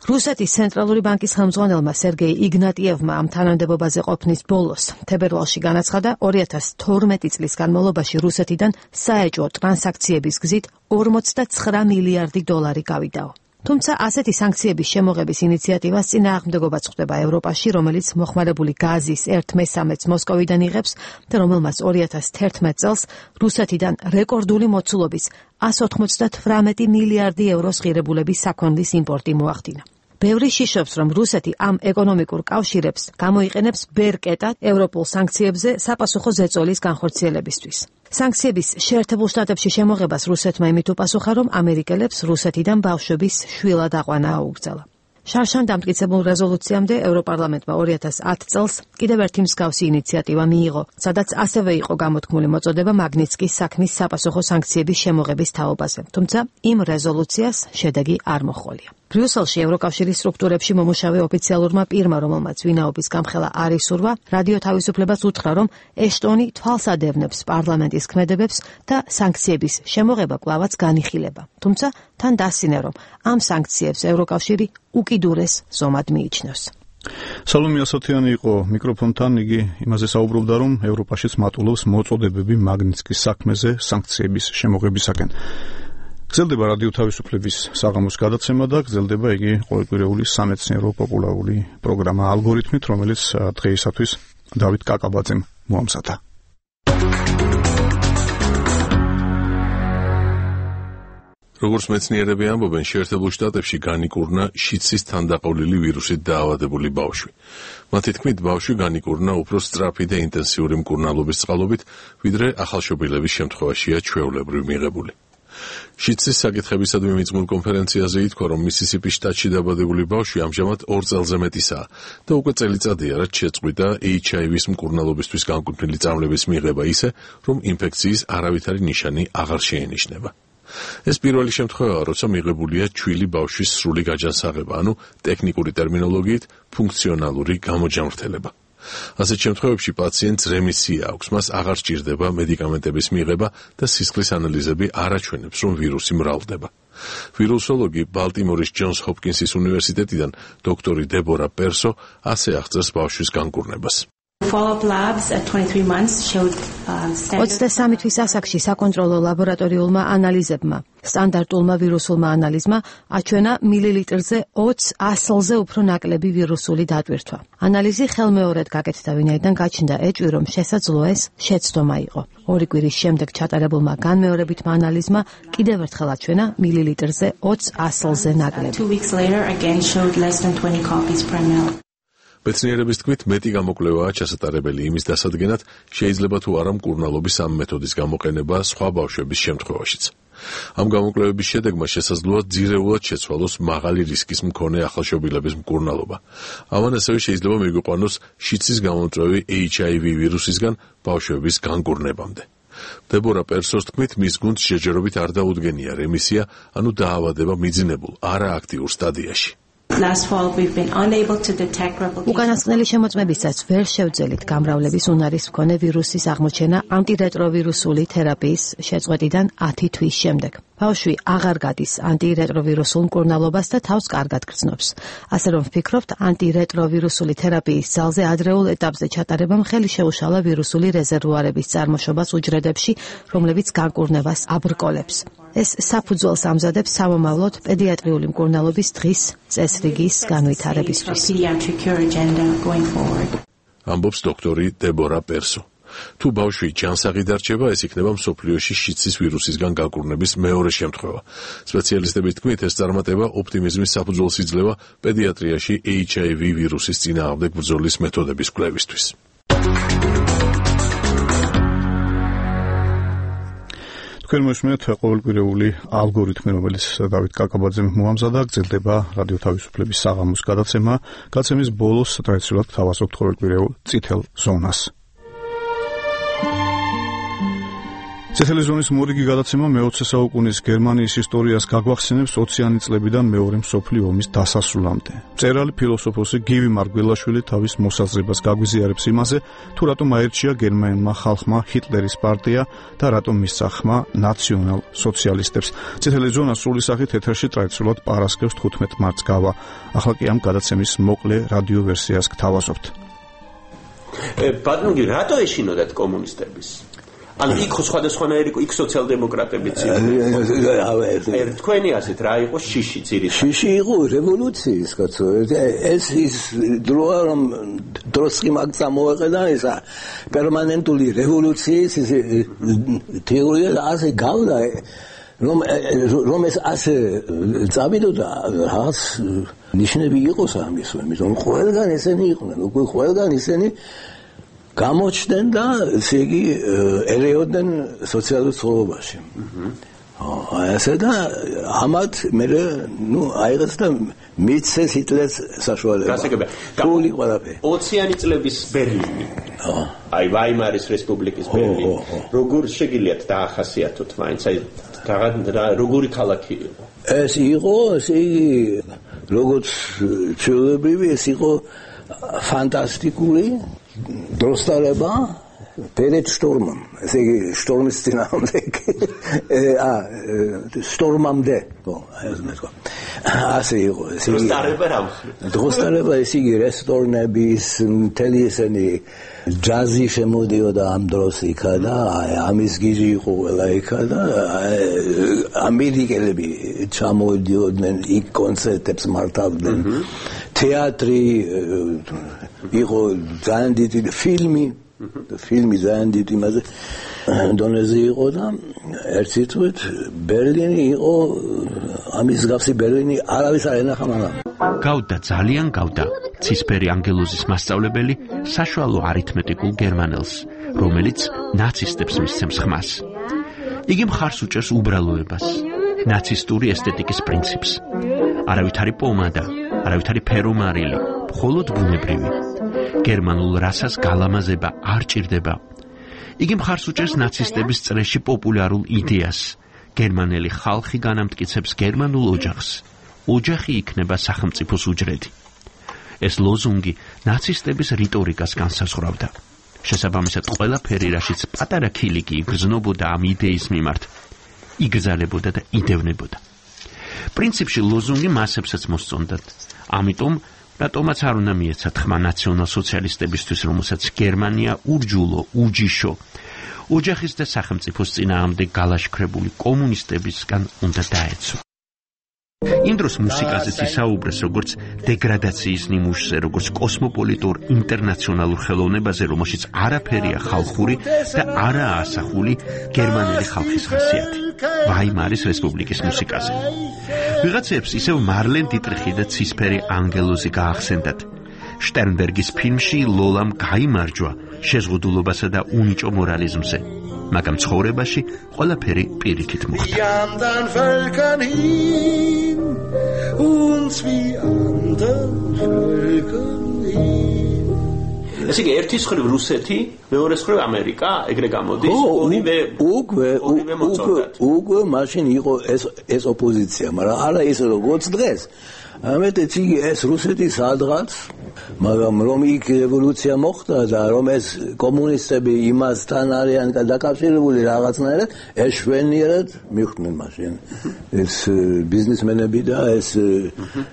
რუსეთის ცენტრალური ბანკის ხელმძღვანელმა სერგეი იგნატიევმა ამ თანამდებობაზე ყოფნის ბოლოს თებერვალში განაცხადა, ორი ათას თორმეტი წლის განმავლობაში რუსეთიდან საეჭვო ტრანზაქციების გზით ორმოცდაცხრა მილიარდი დოლარი გავიდაო. თუმცა ასეთი სანქციების შემოღების ინიციატივას წინააღმდეგობაც ხვდება ევროპაში, რომელიც მოხმარებული გაზის ერთ მესამედს მოსკოვიდან იღებს და რომელმაც ორი ათას თერთმეტ წელს რუსეთიდან რეკორდული მოცულობის εκατს ოცდათვრამეტი მილიარდი ევროს ღირებულების საქონლის იმპორტი მოახდინა. ბევრი შიშობს, რომ რუსეთი ამ ეკონომიკურ კავშირებს გამოიყენებს ბერკეტად ევროპულ სანქციებზე საპასუხო ზეწოლის განხორციელებისთვის. სანქციების შეერთებულ შტატებში შემოღებას რუსეთმა იმით უპასუხა, რომ ამერიკელებს რუსეთიდან ბავშვების შვილად აყვანა აუგზალა. შარშან დამტკიცებულ რეზოლუციამდე ევროპარლამენტმა ორი ათას ათ წელს კიდევ ერთი მსგავსი ინიციატივა მიიღო, სადაც ასევე იყო გამოთქმული მოწოდება მაგნიცკის საქმის საპასუხო სანქციების შემოღების თაობაზე, თუმცა იმ რეზოლუციას შედეგი არ მოჰყოლია. ბრიუსელში ევროკავშირის სტრუქტურებში მომუშავე ოფიციალურმა პირმა, რომელმაც ვინაობის გამხელა არ ისურვა, რადიო თავისუფლებას უთხრა, რომ ეშტონი თვალს ადევნებს პარლამენტის ქმედებებს და სანქციების შემოღება კვლავაც განიხილება. თუმცა თან დასცინე, რომ ამ სანქციებს ევროკავშირი უკიდურეს ზომად მიიჩნევს. სალომე ასათიანი იყო მიკროფონთან, იგი იმაზე საუბრობდა, რომ ევროპაშიც მატულობს მოწოდებები მაგნიცკის საქმეზე სანქციების შემოღებისაკენ. გრძელდება რადიო თავისუფლების საღამოს გადაცემა და გრძელდება იგი ყოველკვირეული სამეცნიერო პოპულარული პროგრამა ალგორითმით, რომელიც დღეისათვის დავით კაკაბაძემ მოამზადა. როგორც მეცნიერები ამბობენ, შეერთებულ შტატებში განიკურნა შიცის თანდაყოლილი ვირუსით დაავადებული ბავშვი. მათი თქმით, ბავშვი განიკურნა უფრო სწრაფი და ინტენსიური მკურნალობის წყალობით, ვიდრე ახალშობილების შემთხვევაშია ჩვეულებრივ მიღებული. შიცის საკითხებისადმი მიძღვნილ კონფერენციაზე ითქვა, რომ მისისიპის შტატში დაბადებული ბავშვი ამჟამად ორ წელზე მეტისაა და უკვე წელიწადია, რაც შეწყვიტა ეიჩ აი ვის მკურნალობისთვის განკუთვნილი წამლების მიღება ისე, რომ ინფექციის არავითარი ნიშანი აღარ შეენიშნება. ეს პირველი შემთხვევაა, როცა მიღებულია ჩვილი ბავშვის სრული გაჯანსაღება, ანუ ტექნიკური ტერმინოლოგიით ფუნქციონალური გამოჯანმრთელება. ასეთ შემთხვევებში პაციენტს რემისია აქვს, მას აღარ სჭირდება მედიკამენტების მიღება და სისხლის ანალიზები არ აჩვენებს, რომ ვირუსი მრავლდება. ვირუსოლოგი ბალტიმორის ჯონს ჰოპკინსის უნივერსიტეტიდან დოქტორი დებორა პერსო ასე აღწერს ბავშვის განკურნებას. ოცდასამი თვის ასაკში საკონტროლო ლაბორატორიულმა ანალიზებმა, სტანდარტულმა ვირუსულმა ანალიზმა აჩვენა მილილიტრზე ოცდაათი ასლზე უფრო ნაკლები ვირუსული დატვირთვა. ანალიზი ხელმეორედ გაკეთდა, ვინაიდან გაჩნდა ეჭვი, რომ შესაძლოა ეს შეცდომა იყო. ორი კვირის შემდეგ ჩატარებულმა განმეორებითმა ანალიზმა კიდევ ერთხელ აჩვენა მილილიტრზე ოცდაათი ასლზე ნაკლები. მეცნიერების თქმით, მეტი გამოკვლევაა ჩასატარებელი იმის დასადგენად, შეიძლება თუ არა მკურნალობის ამ მეთოდის გამოყენება სხვა ბავშვების შემთხვევაშიც. ამ გამოკვლევების შედეგმა შესაძლოა ძირეულად შეცვალოს მაღალი რისკის მქონე ახალშობილების მკურნალობა. ამან ასევე შეიძლება მიგვიყვანოს შიცის გამომწვევი ეიჩ აი ვი ვირუსისგან ბავშვების განკურნებამდე. დებორა პერსოს თქმით, მის გუნდს შეჯერობით არ დაუდგენია რემისია, ანუ დაავადება მიძინებულ, არააქტიურ სტადიაში. უკანასკნელი შემოწმებისაც ვერ შევძელით გამრავლების უნარის მქონე ვირუსის აღმოჩენა ანტირეტროვირუსული თერაპიის შეწყვეტიდან ათი თვის შემდეგ. ბავშვი აღარ გადის ანტირეტროვირუსულ მკურნალობას და თავს კარგად გრძნობს. ასე რომ ვფიქრობთ, ანტირეტროვირუსული თერაპიის ძალზე ადრეულ ეტაპზე ჩატარებამ ხელი შეუშალა ვირუსული რეზერვუარების წარმოშობას უჯრედებში, რომლებიც განკურნებას აბრკოლებს. ეს საფუძველს ამზადებს სამომავლოდ პედიატრიული მკურნალობის დღის წესრიგის განვითარებისთვის. ამბობს დოქტორი დებორა პერსო. თუ ბავშვი ჯანსაღი დარჩება, ეს იქნება მსოფლიოში შიცის ვირუსისგან განკურნების მეორე შემთხვევა. სპეციალისტების თქმით, ეს წარმატება ოპტიმიზმის საფუძველს იძლევა პედიატრიაში ეიჩ აი ვი ვირუსის წინააღმდეგ ბრძოლის მეთოდების კვლევისთვის. თქვენ მოსმენთ ყოველკვირეული ალგორითმი, რომელიც დავით კაკაბაძემ მოამზადა, გრძელდება რადიო თავისუფლების საღამოს გადაცემა. გადაცემის ბოლოს ტრადიციულად თავაზობთ ყოველკვირეულ წითელ ზონას. წითელი ზონის მორიგი გადაცემა მეოცე საუკუნის გერმანიის ისტორიას გაგვახსენებს ოციანი წლებიდან მეორე მსოფლიო ომის დასასრულამდე. მწერალი ფილოსოფოსი გივი მარგველაშვილი თავის მოსაზრებას გაგვიზიარებს იმაზე, თუ რატომ აირჩია გერმანულმა ხალხმა ჰიტლერის პარტია და რატომ მისცა ხმა ნაციონალ სოციალისტებს. წითელი ზონა სრული სახით ეთერში ტრადიციულად პარასკევს თხუთმეტ მარტს გავა. ახლა კი ამ გადაცემის მოკლე რადიო ვერსიას გთავაზობთ. ბატონო, რატო ეშინოდათ კომუნისტების? ანუ იქ სხვადასხვანაირი იქ სოციალ-დემოკრატებიც იყო. თქვენი ასეთ რა იყო შიში ძირითადად? შიში იყო რევოლუციის კაცო. ეს ის დროა რომ დროსკი მაგ წამოეყედა ესა პერმანენტული რევოლუციის თეორია ასე გავდა რომ რომ ეს ასე წავიდოდა რაღაც ნიშნები იყოს ამის, იმიტომ რომ ყველგან ესენი იყვნენ, უკვე ყველგან ისინი გამოჩნდნენ და ესე იგი ერეოდნენ სოციალურ ცხოვრებაში. აი ასე და ამათ მე ნუ აიღეს და მიცეს ჰიტლერს საშუალება. გასაგებია. გული ყველაფერი. ოციანი წლების ბერლინი. აი ვაიმარის რესპუბლიკის ბერლინი. როგორ შეგიძლიათ დაახასიათოთ მაინც აი როგორი ქალაქი იყო? ეს იყო ესე იგი როგორც ჩვეულებრივი ეს იყო ფანტასტიკური დროსტალება პერეთ შტორმამ, ესე იგი შტორმის წინააღმდეგ ა შტორმამდე, ხო, ეს მეთქვა. ასე იყო, ესე იგი დროსტალება რა? დროსტალება ესე იგი რესტორნების, მთელი ესენი ჯაზი შემოდიოდა ამ დროს იქა და ამის გიჟი იყო ყველა იქა და ამერიკელები ჩამოდიოდნენ იქ კონცერტებს მართავდნენ. თეატრი იყო ძალიან დიდი ფილმი ფილმი ძალიან დიდი იმაზე დონეზე იყო და ერთ სიტყვით ბერლინი იყო ამის გავსი ბერლინი არავის არ ენახა მაგრამ გავდა ძალიან გავდა ცისფერი ანგელოზის მასწავლებელი საშუალო არითმეტიკულ გერმანელს რომელიც ნაცისტებს მისცემს ხმას იგი მხარს უჭერს უბრალოებას ნაცისტური ესთეტიკის პრინციპს არავითარი პომადა არავითარი ფერომარილი მხოლოდ ბუნებრივი გერმანულ რასას გალამაზება არ ჭირდება. იგი მხარს უჭერს ნაცისტების წრეში პოპულარულ იდეას. გერმანელი ხალხი განამტკიცებს გერმანულ ოჯახს. ოჯახი იქნება სახელმწიფოს უჯრედი. ეს ლოზუნგი ნაცისტების რიტორიკას განსაზღვრავდა. შესაბამისად, ყველაფერი, რაშიც პატარა ქილიკი იგრძნობოდა ამ იდეის მიმართ, იგზალებოდა და იდევნებოდა. პრინციპში ლოზუნგი მასებსაც მოსწონდათ. ამიტომ რატომაც არ უნდა მიეცათ ხმა ნაციონალ-სოციალისტებისთვის, რომელსაც გერმანია ურჯულო, უჯიშო, ოჯახის და სახელმწიფოს წინააღმდეგ გალაშქრებული კომუნისტებისგან უნდა დაეცვა. იმ დროს მუსიკაზეც ისაუბრეს როგორც დეგრადაციის ნიმუშზე, როგორც კოსმოპოლიტურ ინტერნაციონალურ ხელოვნებაზე, რომელშიც არაფერია ხალხური და არაა ასახული გერმანელი ხალხის ხასიათი. ვაიმარის რესპუბლიკის მუსიკაზე. ვიღაცებს ისევ მარლენ დიტრიხი და ცისფერი ანგელოზი გაახსენდათ. შტერნბერგის ფილმში ლოლამ გაიმარჯვა შეზღუდულობასა და უნიჭო მორალიზმზე. მაგრამ ცხოვრებაში ყველაფერი პირიქით მოხდა. ესე იგი ერთის ხრივ რუსეთი, მეორეს ხრივ ამერიკა, ეგრე გამოდის, ორივე უკვე უკვე უკვე მაშინ იყო ეს ეს ოპოზიცია, მაგრამ არა ისე როგორც დღეს. ამეტეც იგი ეს რუსეთი სადღაც, მაგრამ რომ იქ რევოლუცია მოხდა და რომ ეს კომუნისტები იმასთან არიან დაკავშირებული რაღაცნაირად, ეს შვენიერად მიხვდნენ მაშინ. ეს ბიზნესმენები და ეს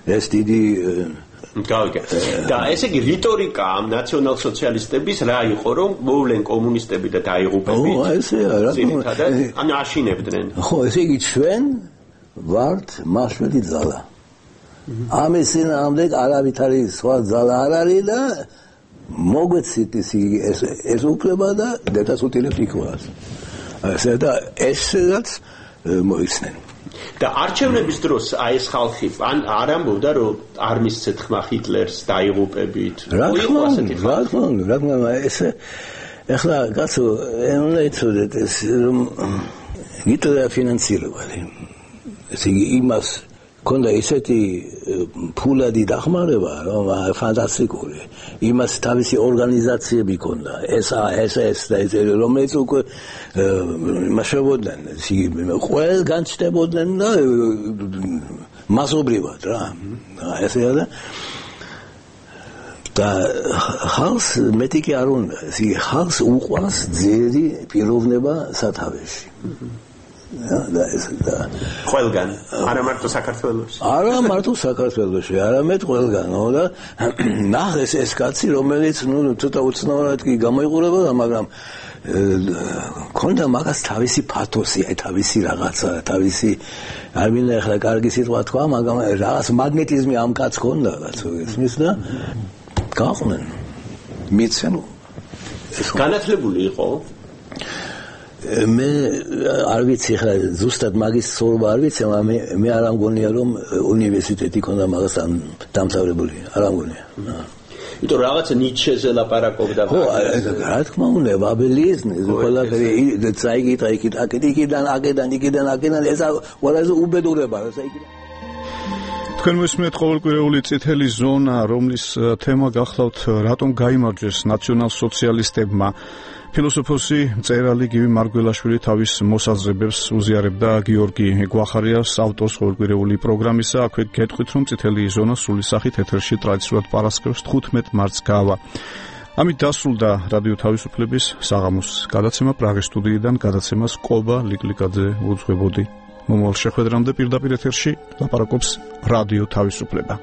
ეს დიდი გავიგე. და ესე იგი რიტორიკა ამ ნაციონალ-სოციალისტების რა იყო, რომ მოვლენ კომუნისტები და დაიღუპებით. ო, ესეა, რა თქმა უნდა. ანუ აშინებდნენ. ხო, ესე იგი ჩვენ ვართ მაშველი ძალა. ამის წინააღმდეგ არავითარი სხვა ძალა არ არის და მოგვეცით ეს ეს უფლება და დედასუტილებს იქვას. ესე და ესეც მოიცნენ. და არჩევნების დროს აი ეს ხალხი ან არ ამბობდა რომ არ მისცეთ ხმა ჰიტლერს დაიღუპებით. რა თქმა უნდა, რა თქმა უნდა, რა თქმა უნდა, ეს ეხლა კაცო, უნდა იცოდეთ ეს რომ ჰიტლერი ფინანსირებდა. ესე იგი იმას ქონდა ისეთი ფულადი დახმარება, რომ ფანტასტიკური. იმას თავისი ორგანიზაციები ქონდა. ეს ეს ეს და ეს რომელიც უკვე მასშტაბობდნენ, ყველგან ჩნდებოდნენ და მასობრივად რა. ესეა და და ხალხს მეტი კი არ უნდა. ეს ხალხს უყვარს ძლიერი პიროვნება სათავეში. და ეს და ყველგან არა მარტო საქართველოს არა მარტო საქართველოში არამედ ყველგან და ნახეს ეს კაცი რომელიც ნუ ცოტა უცნაურად კი გამოიყურებოდა მაგრამ ქონდა მაგას თავისი პათოსი აი თავისი რაღაცა თავისი არ მინდა ახლა კარგი სიტყვა თქვა მაგრამ რაღაც მაგნეტიზმი ამ კაცს ქონდა კაცო ისმის და გაყვნენ მიცემ განათლებული იყო მე არ ვიცი ხა ზუსტად მაგის სწორობა არ ვიცი, მაგრამ მე მე არ ამგონია რომ უნივერსიტეტი ქონდა მაგას დამთავრებული, არ ამგონია. იმიტომ რაღაცა ნიჩეზე ლაპარაკობდა. ხო, რა თქმა უნდა, ვაბელიზმი, ყველაფერი წაიკითხა იქით, აქეთ იქიდან, აქედან, იქიდან, აქედან, ეს ყველაზე უბედურება, ეს იქიდან. თქვენ მოსმენთ ყოველკვირეული წითელი ზონა, რომლის თემა გახლავთ რატომ გაიმარჯვეს ნაციონალ-სოციალისტებმა. ფილოსოფოსი მწერალი გივი მარგველაშვილი თავის მოსაზრებებს უზიარებდა გიორგი გვახარიას ავტორს ყოველკვირეული პროგრამისა. აქვე გეტყვით რომ წითელი ზონა სრული სახით ეთერში ტრადიციულად პარასკევს თხუთმეტ მარტს გავა. ამით დასრულდა რადიო თავისუფლების საღამოს გადაცემა პრაღის სტუდიიდან. გადაცემას კობა ლიკლიკაძე უძღვებოდი. მომავალ შეხვედრამდე პირდაპირ ეთერში ლაპარაკობს რადიო თავისუფლება.